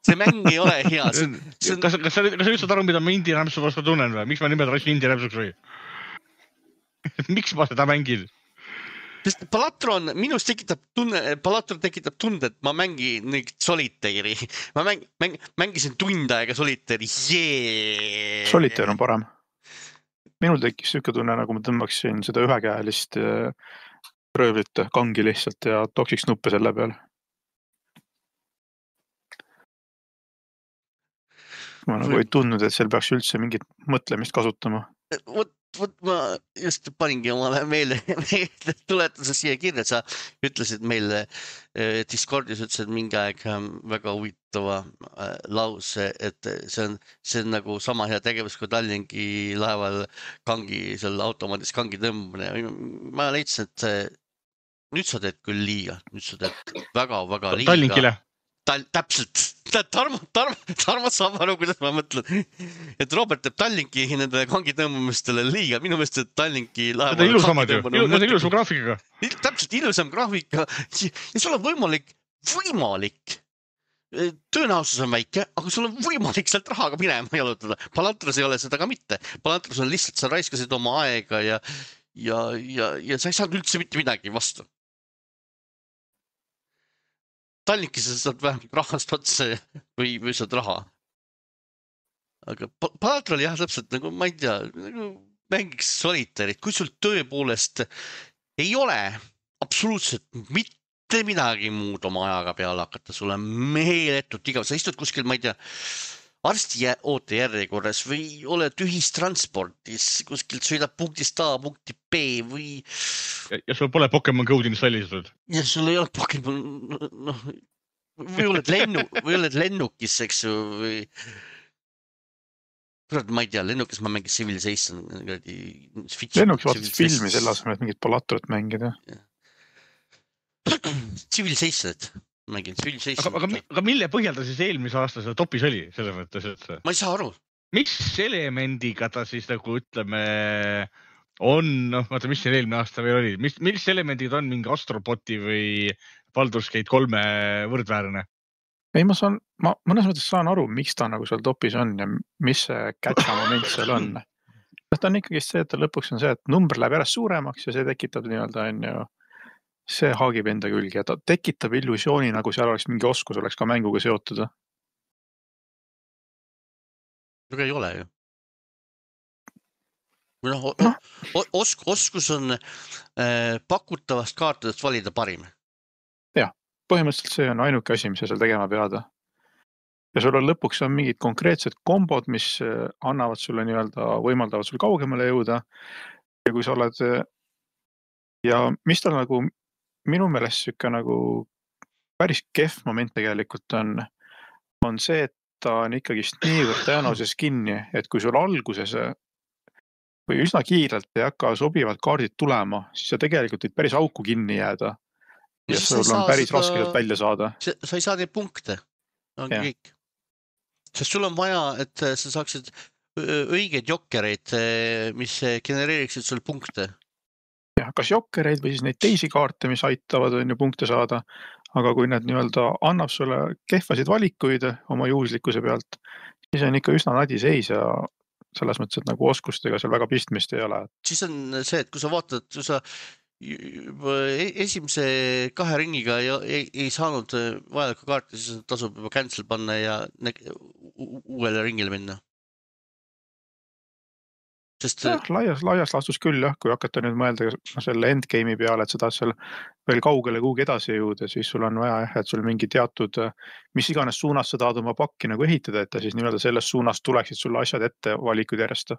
See mäng ei ole hea. Kas sa üldse aru, mida ma indie-rämpsu vastu tunnen või? Miks ma nimelt raisin indie-rämpsuks või? Miks ma seda mängin? Sest Balatro minust tekitab tunde, et ma mängin Solitairi. Ma mängisin tund aega Solitairi. Solitaire on parem. Minul tekkis siuke tunne, nagu ma tõmbaksin seda ühekäelist röövlit kangi lihtsalt ja toksiks nuppe selle peal. Ma nagu ei tundnud, et seal peaks üldse mingit mõtlemist kasutama. Vot ma just paningi omale meelde tuletuse siia kirja, et sa ütlesid meile Discordis, ütlesid mingi aeg väga huvitava lause, et see on nagu sama hea tegevus kui Tallinki laeval seal automaadis kangi tõmbamine. Ma leidsin, et nüüd sa teed küll liiga, nüüd sa teed väga-väga liiga. Tallinkile? Täpselt. Tarmo saab aru, kuidas ma mõtlen. Et Robert teeb Tallinki nendele kangi tõmbamistele liiga. Minu meelest, et Tallinki laeval... Seda ilusamad ju. Seda ilusam graafikaga. Täpselt ilusam graafika. Ja sul on võimalik. Tõenäosus on väike, aga sul on võimalik sealt rahaga minema jalutada. Balatros ei ole seda ka mitte. Balatros on lihtsalt, sa raiskasid oma aega ja sa ei saanud üldse mitte midagi vastu. Tallinkis sa saad vähemalt rahast otsa või saad raha. Aga Balatro oli jah täpselt nagu, ma ei tea, nagu mängiks Solitairit, kui sul tõepoolest ei ole absoluutselt mitte midagi muud oma ajaga peale hakata, sul on meeletult igav, sa istud kuskil, ma ei tea, arsti ootejärjekorras või oled ühistransportis, kuskilt sõidab punktist A punkti B või... Ja sul pole Pokemon Go'd installitud. Ja sul ei ole Pokemon... või oled lennukis, eks ju, või... Kurat, ma ei tea, lennukis ma mängin Civilization. Lennukis vaatad filmi selle asemel, et mingit Balatrot mängida. Civilizationit. Aga mille põhjal ta siis eelmise aasta seal topis oli, selles mõttes, et... Ma ei saa aru. Mis elemendiga ta siis nagu ütleme on, vaata, mis siin eelmine aasta veel oli, mis elemendid on mingi Astroboti või Baldur's Gate 3 võrdväärne? Ei, ma mõnes mõttes saan aru, miks ta nagu seal topis on ja mis see catcha moment seal on. Ta on ikkagi see, et lõpuks on see, et number läheb järjest suuremaks ja see tekitab nii-öelda on ju see haagib enda külgi ja ta tekitab illusiooni, nagu seal oleks mingi oskus, oleks ka mänguga seotud. Aga ei ole ju. Oskus on pakutavast kaartadest valida parim. Jah, põhimõtteliselt see on ainuke asi, mis sa seal tegema pead. Ja sul on lõpuks on mingid konkreetsed kombod, mis annavad sulle nii-öelda, võimaldavad sul kaugemale jõuda. Ja kui sa oled ja mis tal nagu minu meelest sükka nagu päris kehv moment tegelikult on see, et ta on ikkagist niivõrd tõenäoses kinni, et kui sul alguses või üsna kiirelt ei hakka sobivad kaardid tulema, siis sa tegelikult võid päris auku kinni jääda ja sul on päris raske sealt välja saada. Sa ei saa neid punkte, on kõik. Sest sul on vaja, et sa saaksid õigeid jokkereid, mis genereeriksid sul punkte. jah, kas jokkereid või siis neid teisi kaarte, mis aitavad on ju punkte saada, aga kui need nii-öelda annab sulle kehvasid valikuid oma juhuslikkuse pealt, siis on ikka üsna nadi seis ja selles mõttes, et nagu oskustega seal väga pistmist ei ole. Siis on see, et kui sa vaatad, kui sa esimese 2 ringiga ei saanud vajalikku kaarti, siis tasub juba cancel panna ja uuele ringile minna. Sest laias laastus küll jah, kui hakata nüüd mõelda selle endgame'i peale, et sa tahad seal veel kaugele kuhugi edasi jõuda, siis sul on vaja, et sul mingi teatud, mis iganes suunas sa tahad oma pakki nagu ehitada, et siis nii-öelda selles suunas tuleksid sulle asjad ette valikud järjest.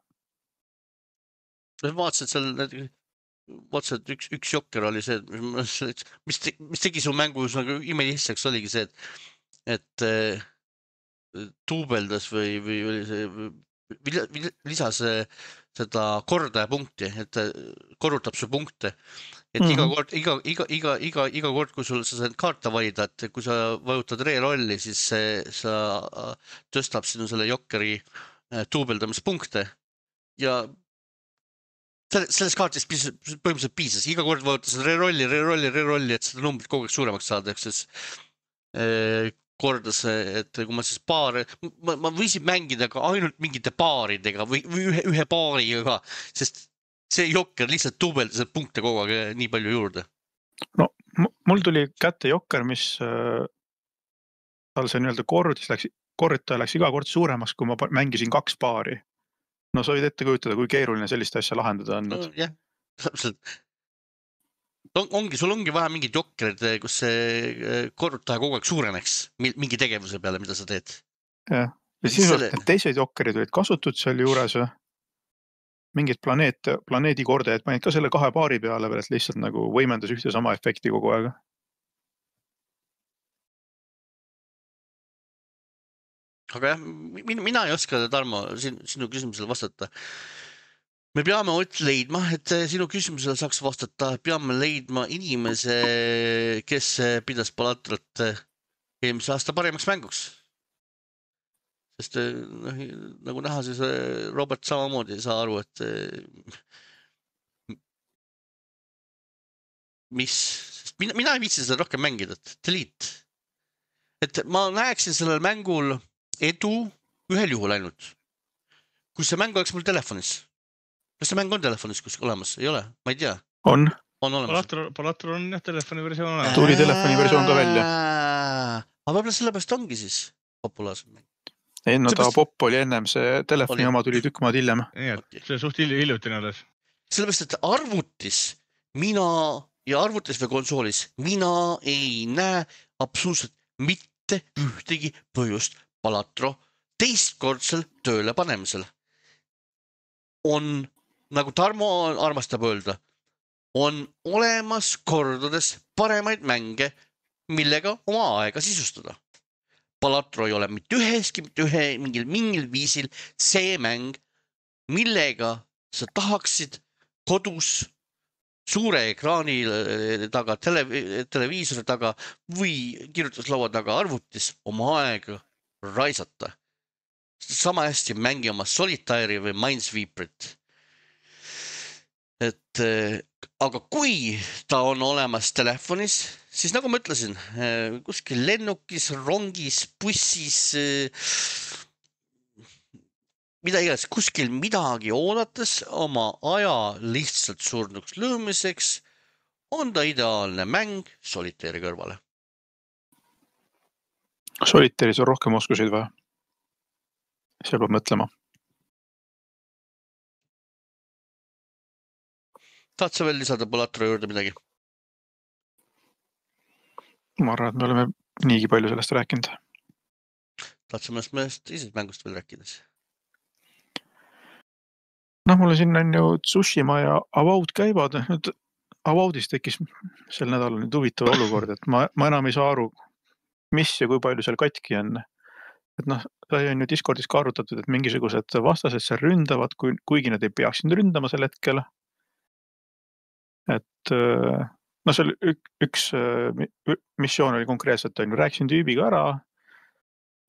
vaatasid seal, üks jokker oli see, mis tegi su mängus nagu imelihtsaks, oligi see, et tuubeldas või oli see, lisas seda kordajapunkti, et korrutab su punkte. Et iga kord, kui sul sa saad kaarte valida, et kui sa vajutad re-rolli, siis sa tõstab sinu selle jokkeri tuubeldamispunkte ja selles kaartis põhimõtteliselt piisas. Iga kord vajutas re-rolli, et seda numbrit kogu aeg suuremaks saada, ehk siis kordas, et kui ma siis ma võisin mängida ka ainult mingite paaridega või ühe paariga ka, sest see jokker lihtsalt tuubeldas punkte kogu aeg nii palju juurde. No mul tuli kätte jokker, mis tal see nii-öelda korrutaja läks iga kord suuremaks, kui ma mängisin 2 paari. No sa võid ette kujutada, kui keeruline sellist asja lahendada on. Jah, täpselt. Sul ongi vaja mingid jokkerid, kus see korrutaja kogu aeg suureneks mingi tegevuse peale, mida sa teed. Jah, ja siis teised jokkerid olid kasutud seal juures, mingid planeedi kordajad panid ka selle 2 paari peale veel, et lihtsalt nagu võimendas ühte sama efekti kogu aeg. Aga jah, mina ei oska, Tarmo, sinu küsimusele vastata. Me peame leidma, et sinu küsimusele saaks vastata, peame leidma inimese, kes pidas Palatrot eelmise aasta parimaks mänguks. Sest nagu näha, siis Robert samamoodi ei saa aru, et sest mina ei viitsi seda rohkem mängida, delete. Et ma näeksin sellel mängul edu ühel juhul ainult. Kui see mäng oleks mul telefonis. Kas see mäng on telefonis kuskil olemas? Ei ole? Ma ei tea. On olemas. Palatro on jah telefoni versioon olemas. Tuli telefoni versioon ka välja. Aga võib-olla sellepärast ongi siis populaarsem mäng. Ei, no ta popp oli ennem, see telefoni oma tuli tükk maad hiljem. Nii, et see suht hiljutine alles. Sellepärast, et arvutis või konsoolis mina ei näe absoluutselt mitte ühtegi põhjust Palatro teistkordsel tööle panemisel. On, nagu Tarmo armastab öelda, on olemas kordades paremaid mänge, millega oma aega sisustada. Palatro ei ole mitte mingil viisil see mäng, millega sa tahaksid kodus suure ekraani taga, televiisori taga või kirjutuslaua taga arvutis oma aega raisata. Sama hästi mängi oma Solitaire'i või Minesweeperit. Aga kui ta on olemas telefonis, siis nagu ma ütlesin, kuskil lennukis, rongis, bussis, mida iganes, kuskil midagi oodates oma aja lihtsalt surnuks lõõmiseks, on ta ideaalne mäng Solitaire'i kõrvale. Solitaire'is on rohkem oskusid või? See peab mõtlema. Tahad sa veel lisada Palatro juurde midagi? Ma arvan, et me oleme niigi palju sellest rääkinud. Tahad sa mõnest teisest mängust veel rääkides? Mulle siin on ju Tsushima ja Avowed käivad. Nüüd Avowedis tekkis sel nädalal nüüd huvitav olukord, et ma enam ei saa aru, mis ja kui palju seal katki on. Et sai on ju Discordis ka arutatud, et mingisugused vastased seal ründavad, kuigi nad ei peaksid ründama sel hetkel. Et seal üks missioon oli konkreetselt, rääkisin tüübiga ära,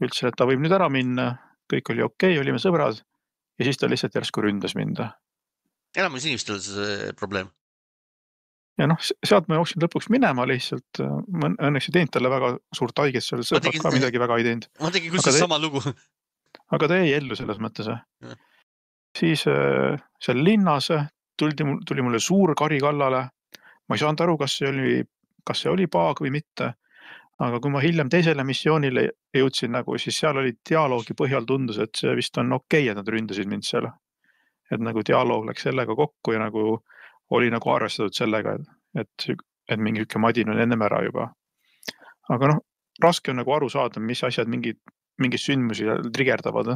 ütlesin, et ta võib nüüd ära minna, kõik oli okei, olime sõbrad ja siis ta lihtsalt järsku ründas mind. Enamus inimestel see probleem. Ja noh, sealt ma jooksin lõpuks minema lihtsalt. Ma õnneks ei teinud talle väga suurt haiget, seal sõbrad ka midagi väga ei teinud. Ma tegin kusjuures sama lugu. Aga ta jäi ellu selles mõttes. Siis seal linnas tuli mulle suur kari kallale. Ma ei saanud aru, kas see oli paag või mitte. Aga kui ma hiljem teisele missioonile jõudsin, nagu, siis seal oli dialoogi põhjal tundus, et see vist on okei, et nad ründasid mind seal. Et nagu dialoog läks sellega kokku ja nagu oli nagu arvestatud sellega, et mingi ükke madin on ennem ära juba. Aga noh, raske on nagu aru saada, mis asjad mingid sündmusi trigerdavad.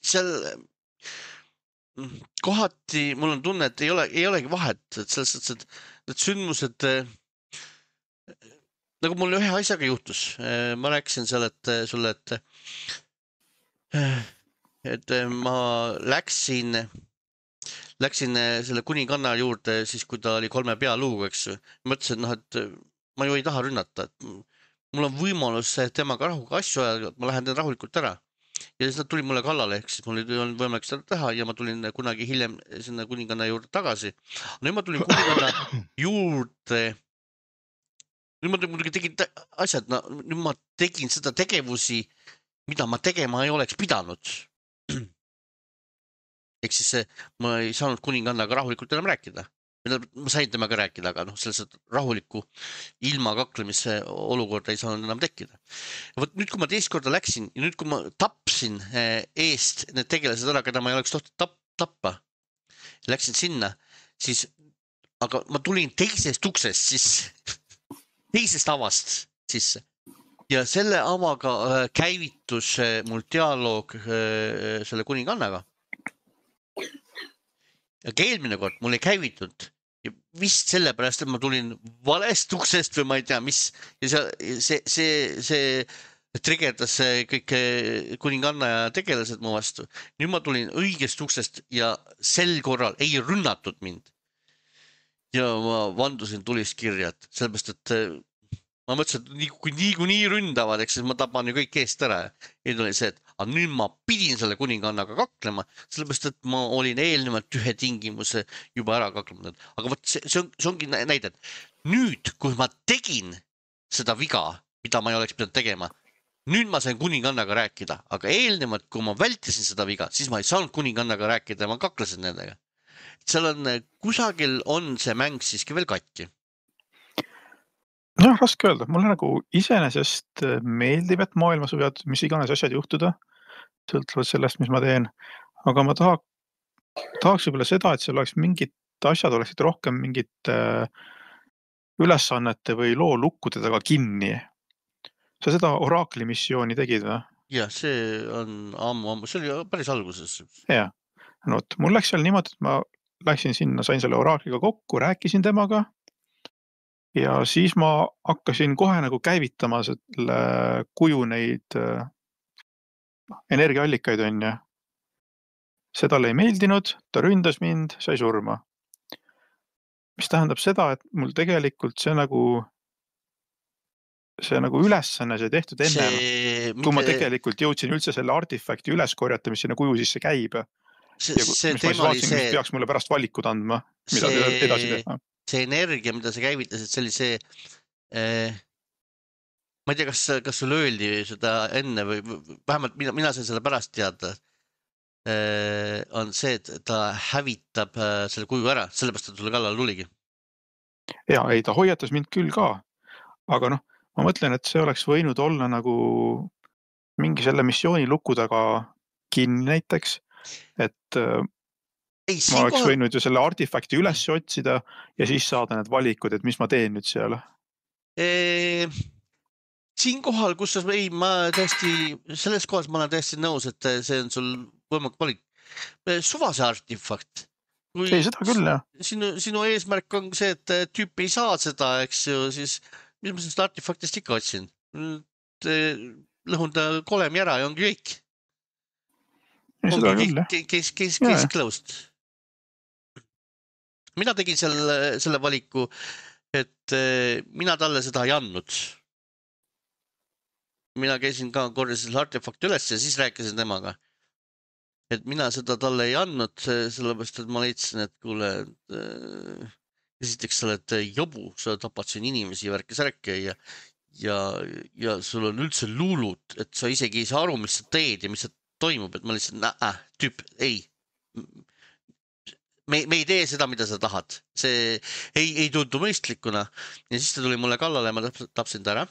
Seal kohati mul on tunne, et ei olegi vahet, et selles suhtes, et need sündmused nagu mul ühe asjaga juhtus. Ma rääkisin seal, sulle, et ma läksin selle kuninganna juurde siis, kui ta oli 3 pealuuga, eks. Mõtlesin, et ma ju ei taha rünnata. Mul on võimalus temaga rahuga asju ajada, ma lähen rahulikult ära. Ja siis nad tuli mulle kallale, ehk siis mul oli võimalik seda teha ja ma tulin kunagi hiljem sinna kuninganna juurde tagasi. Nüüd ma tulin kuninganna juurde. Nüüd ma muidugi tegin asjad, nüüd ma tegin seda tegevusi, mida ma tegema ei oleks pidanud. Ehk siis ma ei saanud kuningannaga rahulikult enam rääkida. Ma sain temaga rääkida, aga selles rahuliku ilma kaklemise olukorda ei saanud enam tekkida. Võt nüüd, kui ma teist korda läksin ja nüüd, kui ma tapsin eest need tegelased ära, keda ma ei oleks tohtinud tappa, läksin sinna, siis, aga ma tulin teisest uksest sisse, teisest avast sisse ja selle avaga käivitus mul dialoog selle kuningannaga. Aga eelmine kord mul ei käivitunud ja vist sellepärast, et ma tulin valest uksest või ma ei tea, mis ja see trigerdas kõik kuninganna ja tegelased mu vastu. Nüüd ma tulin õigest uksest ja sel korral ei rünnatud mind. Ja ma vandusin tulist kirjad, sellepärast, et ma mõtlesin, et nii ründavad, eks ma tapan ju kõik eest ära. Ja tuli see, et nüüd ma pidin selle kuningannaga kaklema, sellepärast, et ma olin eelnevalt ühe tingimuse juba ära kaklenud. Aga võt, see ongi näide, et nüüd, kui ma tegin seda viga, mida ma ei oleks pidanud tegema, nüüd ma sain kuningannaga rääkida, aga eelnevalt, kui ma vältisin seda viga, siis ma ei saanud kuningannaga rääkida ja ma kaklesin nendega. Seal on, kusagil on see mäng siiski veel katki. Jah, raske öelda. Mulle nagu iseenesest meeldib, et maailmas võivad mis iganes asjad juhtuda, sõltuvad sellest, mis ma teen. Aga ma tahaks võib-olla seda, et seal oleks mingid asjad oleksid rohkem mingit ülesannete või loo lukkude taga kinni. Sa seda Oraakli missiooni tegid või? Jah, see on ammu. See oli päris alguses. Jah. No, mul läks seal niimoodi, et ma läksin sinna, sain selle Oraakliga kokku, rääkisin temaga. Ja siis ma hakkasin kohe nagu käivitama selle kuju neid energiaallikaid on ja see talle ei meeldinud, ta ründas mind, sai surma. Mis tähendab seda, et mul tegelikult see nagu ülesanne see tehtud ennem, kui ma tegelikult jõudsin üldse selle artifakti üles korjata, mis sinna kuju sisse käib. See teema oli see, mis peaks mulle pärast valikud andma, mida edasi teha. See energia, mida sa käivitasid, see oli see, ma ei tea, kas sul öeldi seda enne või vähemalt mina sain selle pärast teada, on see, et ta hävitab selle kuju ära, sellepärast, et sulle kallal tuligi. Ja, ei, ta hoiatas mind küll ka, aga ma mõtlen, et see oleks võinud olla nagu mingi selle missiooni luku taga kinni näiteks, et ma oleks võinud ju selle artifakti üles otsida ja siis saada need valikud, et mis ma teen nüüd seal. Siinkohal, kus ma tõesti, selles kohas ma olen tõesti nõus, et see on sul võimalik valik. Suvase artifakt. Ei, seda küll, jah. Sinu eesmärk on see, et tüüp ei saa seda, eks ju, siis mis ma sellest artifaktist ikka otsin? Lõhun ta kolemi ära ja ongi kõik. Ei, seda küll, jah. Kesklõust. Mina tegin selle valiku, et mina talle seda ei andnud. mina käisin ka korjasin artefakti üles ja siis rääkisin temaga. Et mina seda talle ei andnud, sellepärast, et ma leidsin, et kuule, esiteks sa oled jobu, sa tapad siin inimesi värki-särki ja sul on üldse luulud, et sa isegi ei saa aru, mis sa teed ja mis sa toimub, et ma lihtsalt, tüüp, ei. Me ei tee seda, mida sa tahad. See ei tundu mõistlikuna. Ja siis ta tuli mulle kallale ja ma tapsin ta ära.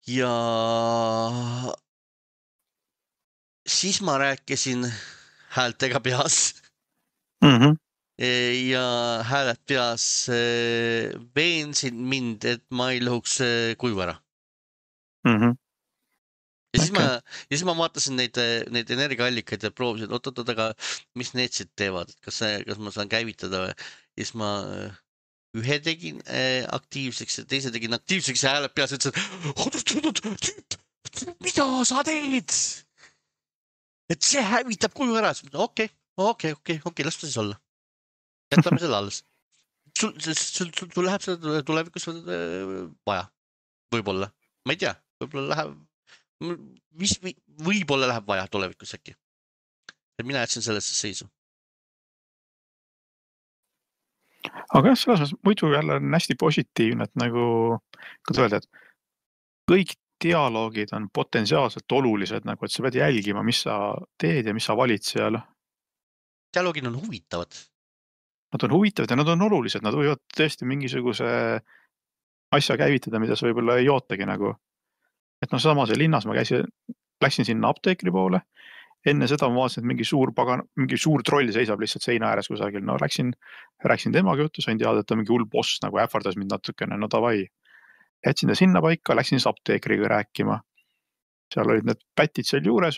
Ja siis ma rääkisin häältega peas. Ja hääled peas veensin mind, et ma ei lõhuks kuivu ära. Ja siis ma vaatasin neid energiaallikaid ja proovisin, oot, aga mis need siit teevad, kas ma saan käivitada või? Ja siis ma ühe tegin aktiivseks ja teise tegin aktiivseks ja hääled peas ütlesid, tüüp, mida sa teed? Et see hävitab kuju ära. Okei, las ta siis olla. Jätame selle alles. Sul läheb seda tulevikus vaja. Võib-olla. Ma ei tea, võib-olla läheb võib-olla läheb vaja tulevikus äkki. Et mina jätsin sellesse seisu. Aga jah, selles mõttes muidu jälle on hästi positiivne, et nagu, kuidas öelda, et kõik dialoogid on potentsiaalselt olulised, nagu, et sa pead jälgima, mis sa teed ja mis sa valid seal. Dialoogid on huvitavad. Nad on huvitavad ja nad on olulised, nad võivad tõesti mingisuguse asja käivitada, mida sa võib-olla ei ootagi nagu. Et no sama see linnas ma läksin sinna apteekri poole, enne seda ma vaatasin, et mingi suur troll seisab lihtsalt seina ääres kusagil, no rääksin temaga juttu, sain teada, et ta mingi hull boss nagu ähvardas mind natukene, no davai. Jätsin ta sinna paika, läksin siis apteekriga rääkima. Seal olid need pätid seal juures,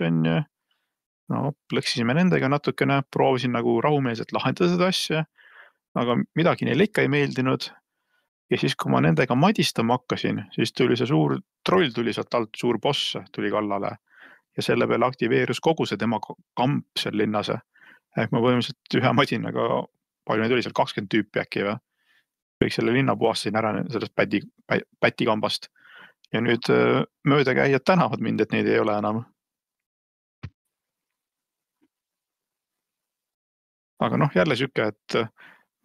no plõksisime nendega natukene, proovisin nagu rahumeelselt lahendada seda asja, aga midagi neile ikka ei meeldinud. Ja siis, kui ma nendega madistama hakkasin, siis tuli see suur troll tuli sealt alt, suur boss tuli kallale ja selle peale aktiveerus kogu see tema kamp seal linnas. Ehk ma põhimõtteliselt ühe madinaga, palju neid oli seal 20 tüüpi äkki või? Kõik selle linna puhastasin ära sellest pätikambast. Ja nüüd möödakäijad tänavad mind, et neid ei ole enam. Aga noh, jälle siuke, et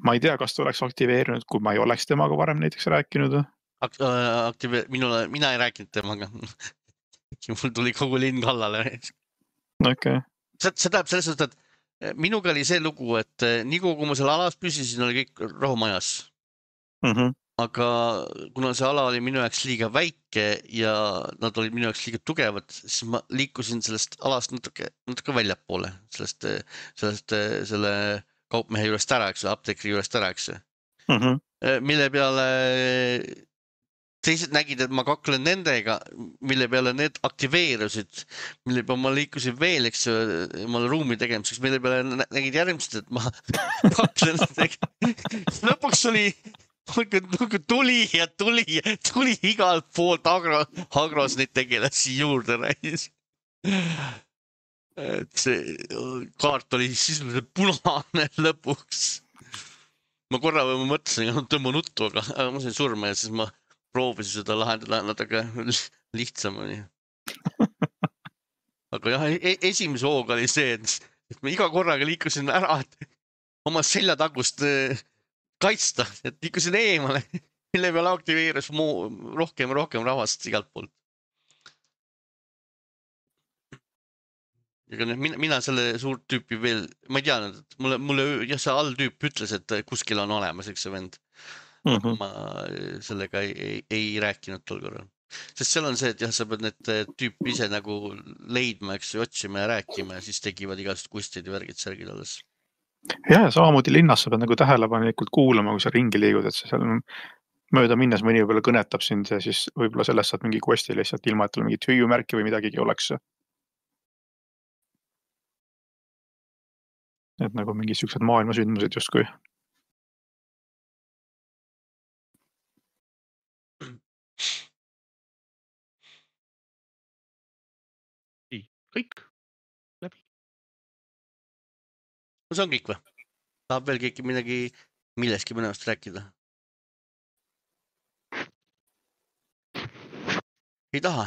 ma ei tea, kas ta oleks aktiveerinud, kui ma ei oleks temaga varem näiteks rääkinud. Mina ei rääkinud temaga. Mul tuli kogu linn kallale. Okay. See tähendab selles suhtes, et minuga oli see lugu, et nii kui ma seal alas püsisin, oli kõik rahumajas. Aga kuna see ala oli minu jaoks liiga väike ja nad olid minu jaoks liiga tugevad, siis ma liikusin sellest alast natuke väljapoole, selle kaupmehe juurest ära, eks, apteekri juurest ära, eks. Mille peale teised nägid, et ma kaklen nendega, mille peale need aktiveerusid, mille peale ma liikusin veel, eks, omale ruumi tegemiseks, mille peale nägid järgmised, et ma kaklen nendega. Lõpuks oli tuli igalt poolt agros neid tegelasi juurde räägis. Et see kaart oli sisuliselt punane lõpuks. Ma korra mõtlesin, et tõmba nuttu, aga ma sain surma ja siis ma proovisin seda lahendada natuke lihtsamini. Aga jah, esimese hooga oli see, et ma iga korraga liikusin ära, et oma seljatagust kaitsta, et liikusin eemale, mille peale aktiveerus rohkem rahvast igalt poolt. Ega mina selle suurt tüüpi veel, ma ei tea, mulle see alltüüp ütles, et kuskil on olemas, eks see vend. Ma sellega ei rääkinud tol korral. Sest seal on see, et jah, sa pead need tüüpi ise nagu leidma, eks otsima ja rääkima ja siis tegivad igast kustid ja värgid särgid alles. Ja samamoodi linnas sa pead nagu tähelepanelikult kuulama, kui sa ringi liigud, et sa seal mööda minnes mõni võib-olla kõnetab sind ja siis võib-olla sellest saad mingi questi lihtsalt ilma, et tal mingit hüüumärki või midagigi oleks. Et nagu mingi siuksed maailmasündmused justkui. Ei, kõik läbi. No see on kõik või? Tahab veel keegi midagi milleski mõnevast rääkida? Ei taha?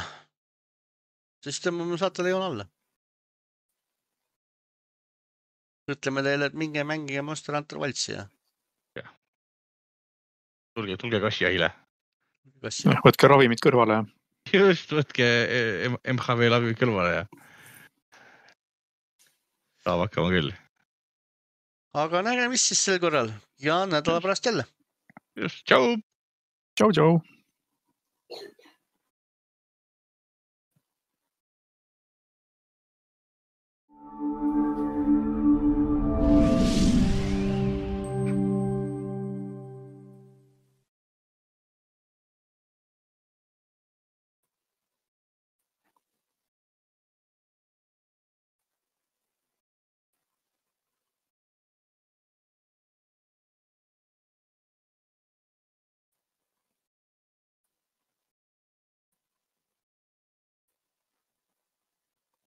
siis tõmbame saatele joon alla. Ütleme teile, et minge mängige Monster Hunter Wilds'i ja tulge kassijahile. Võtke ravimid kõrvale. Just, võtke MHV lavimid kõrvale ja saab hakkama küll. Aga nägemist siis sel korral ja nädala pärast jälle. Just, tšau! Tšau, tšau!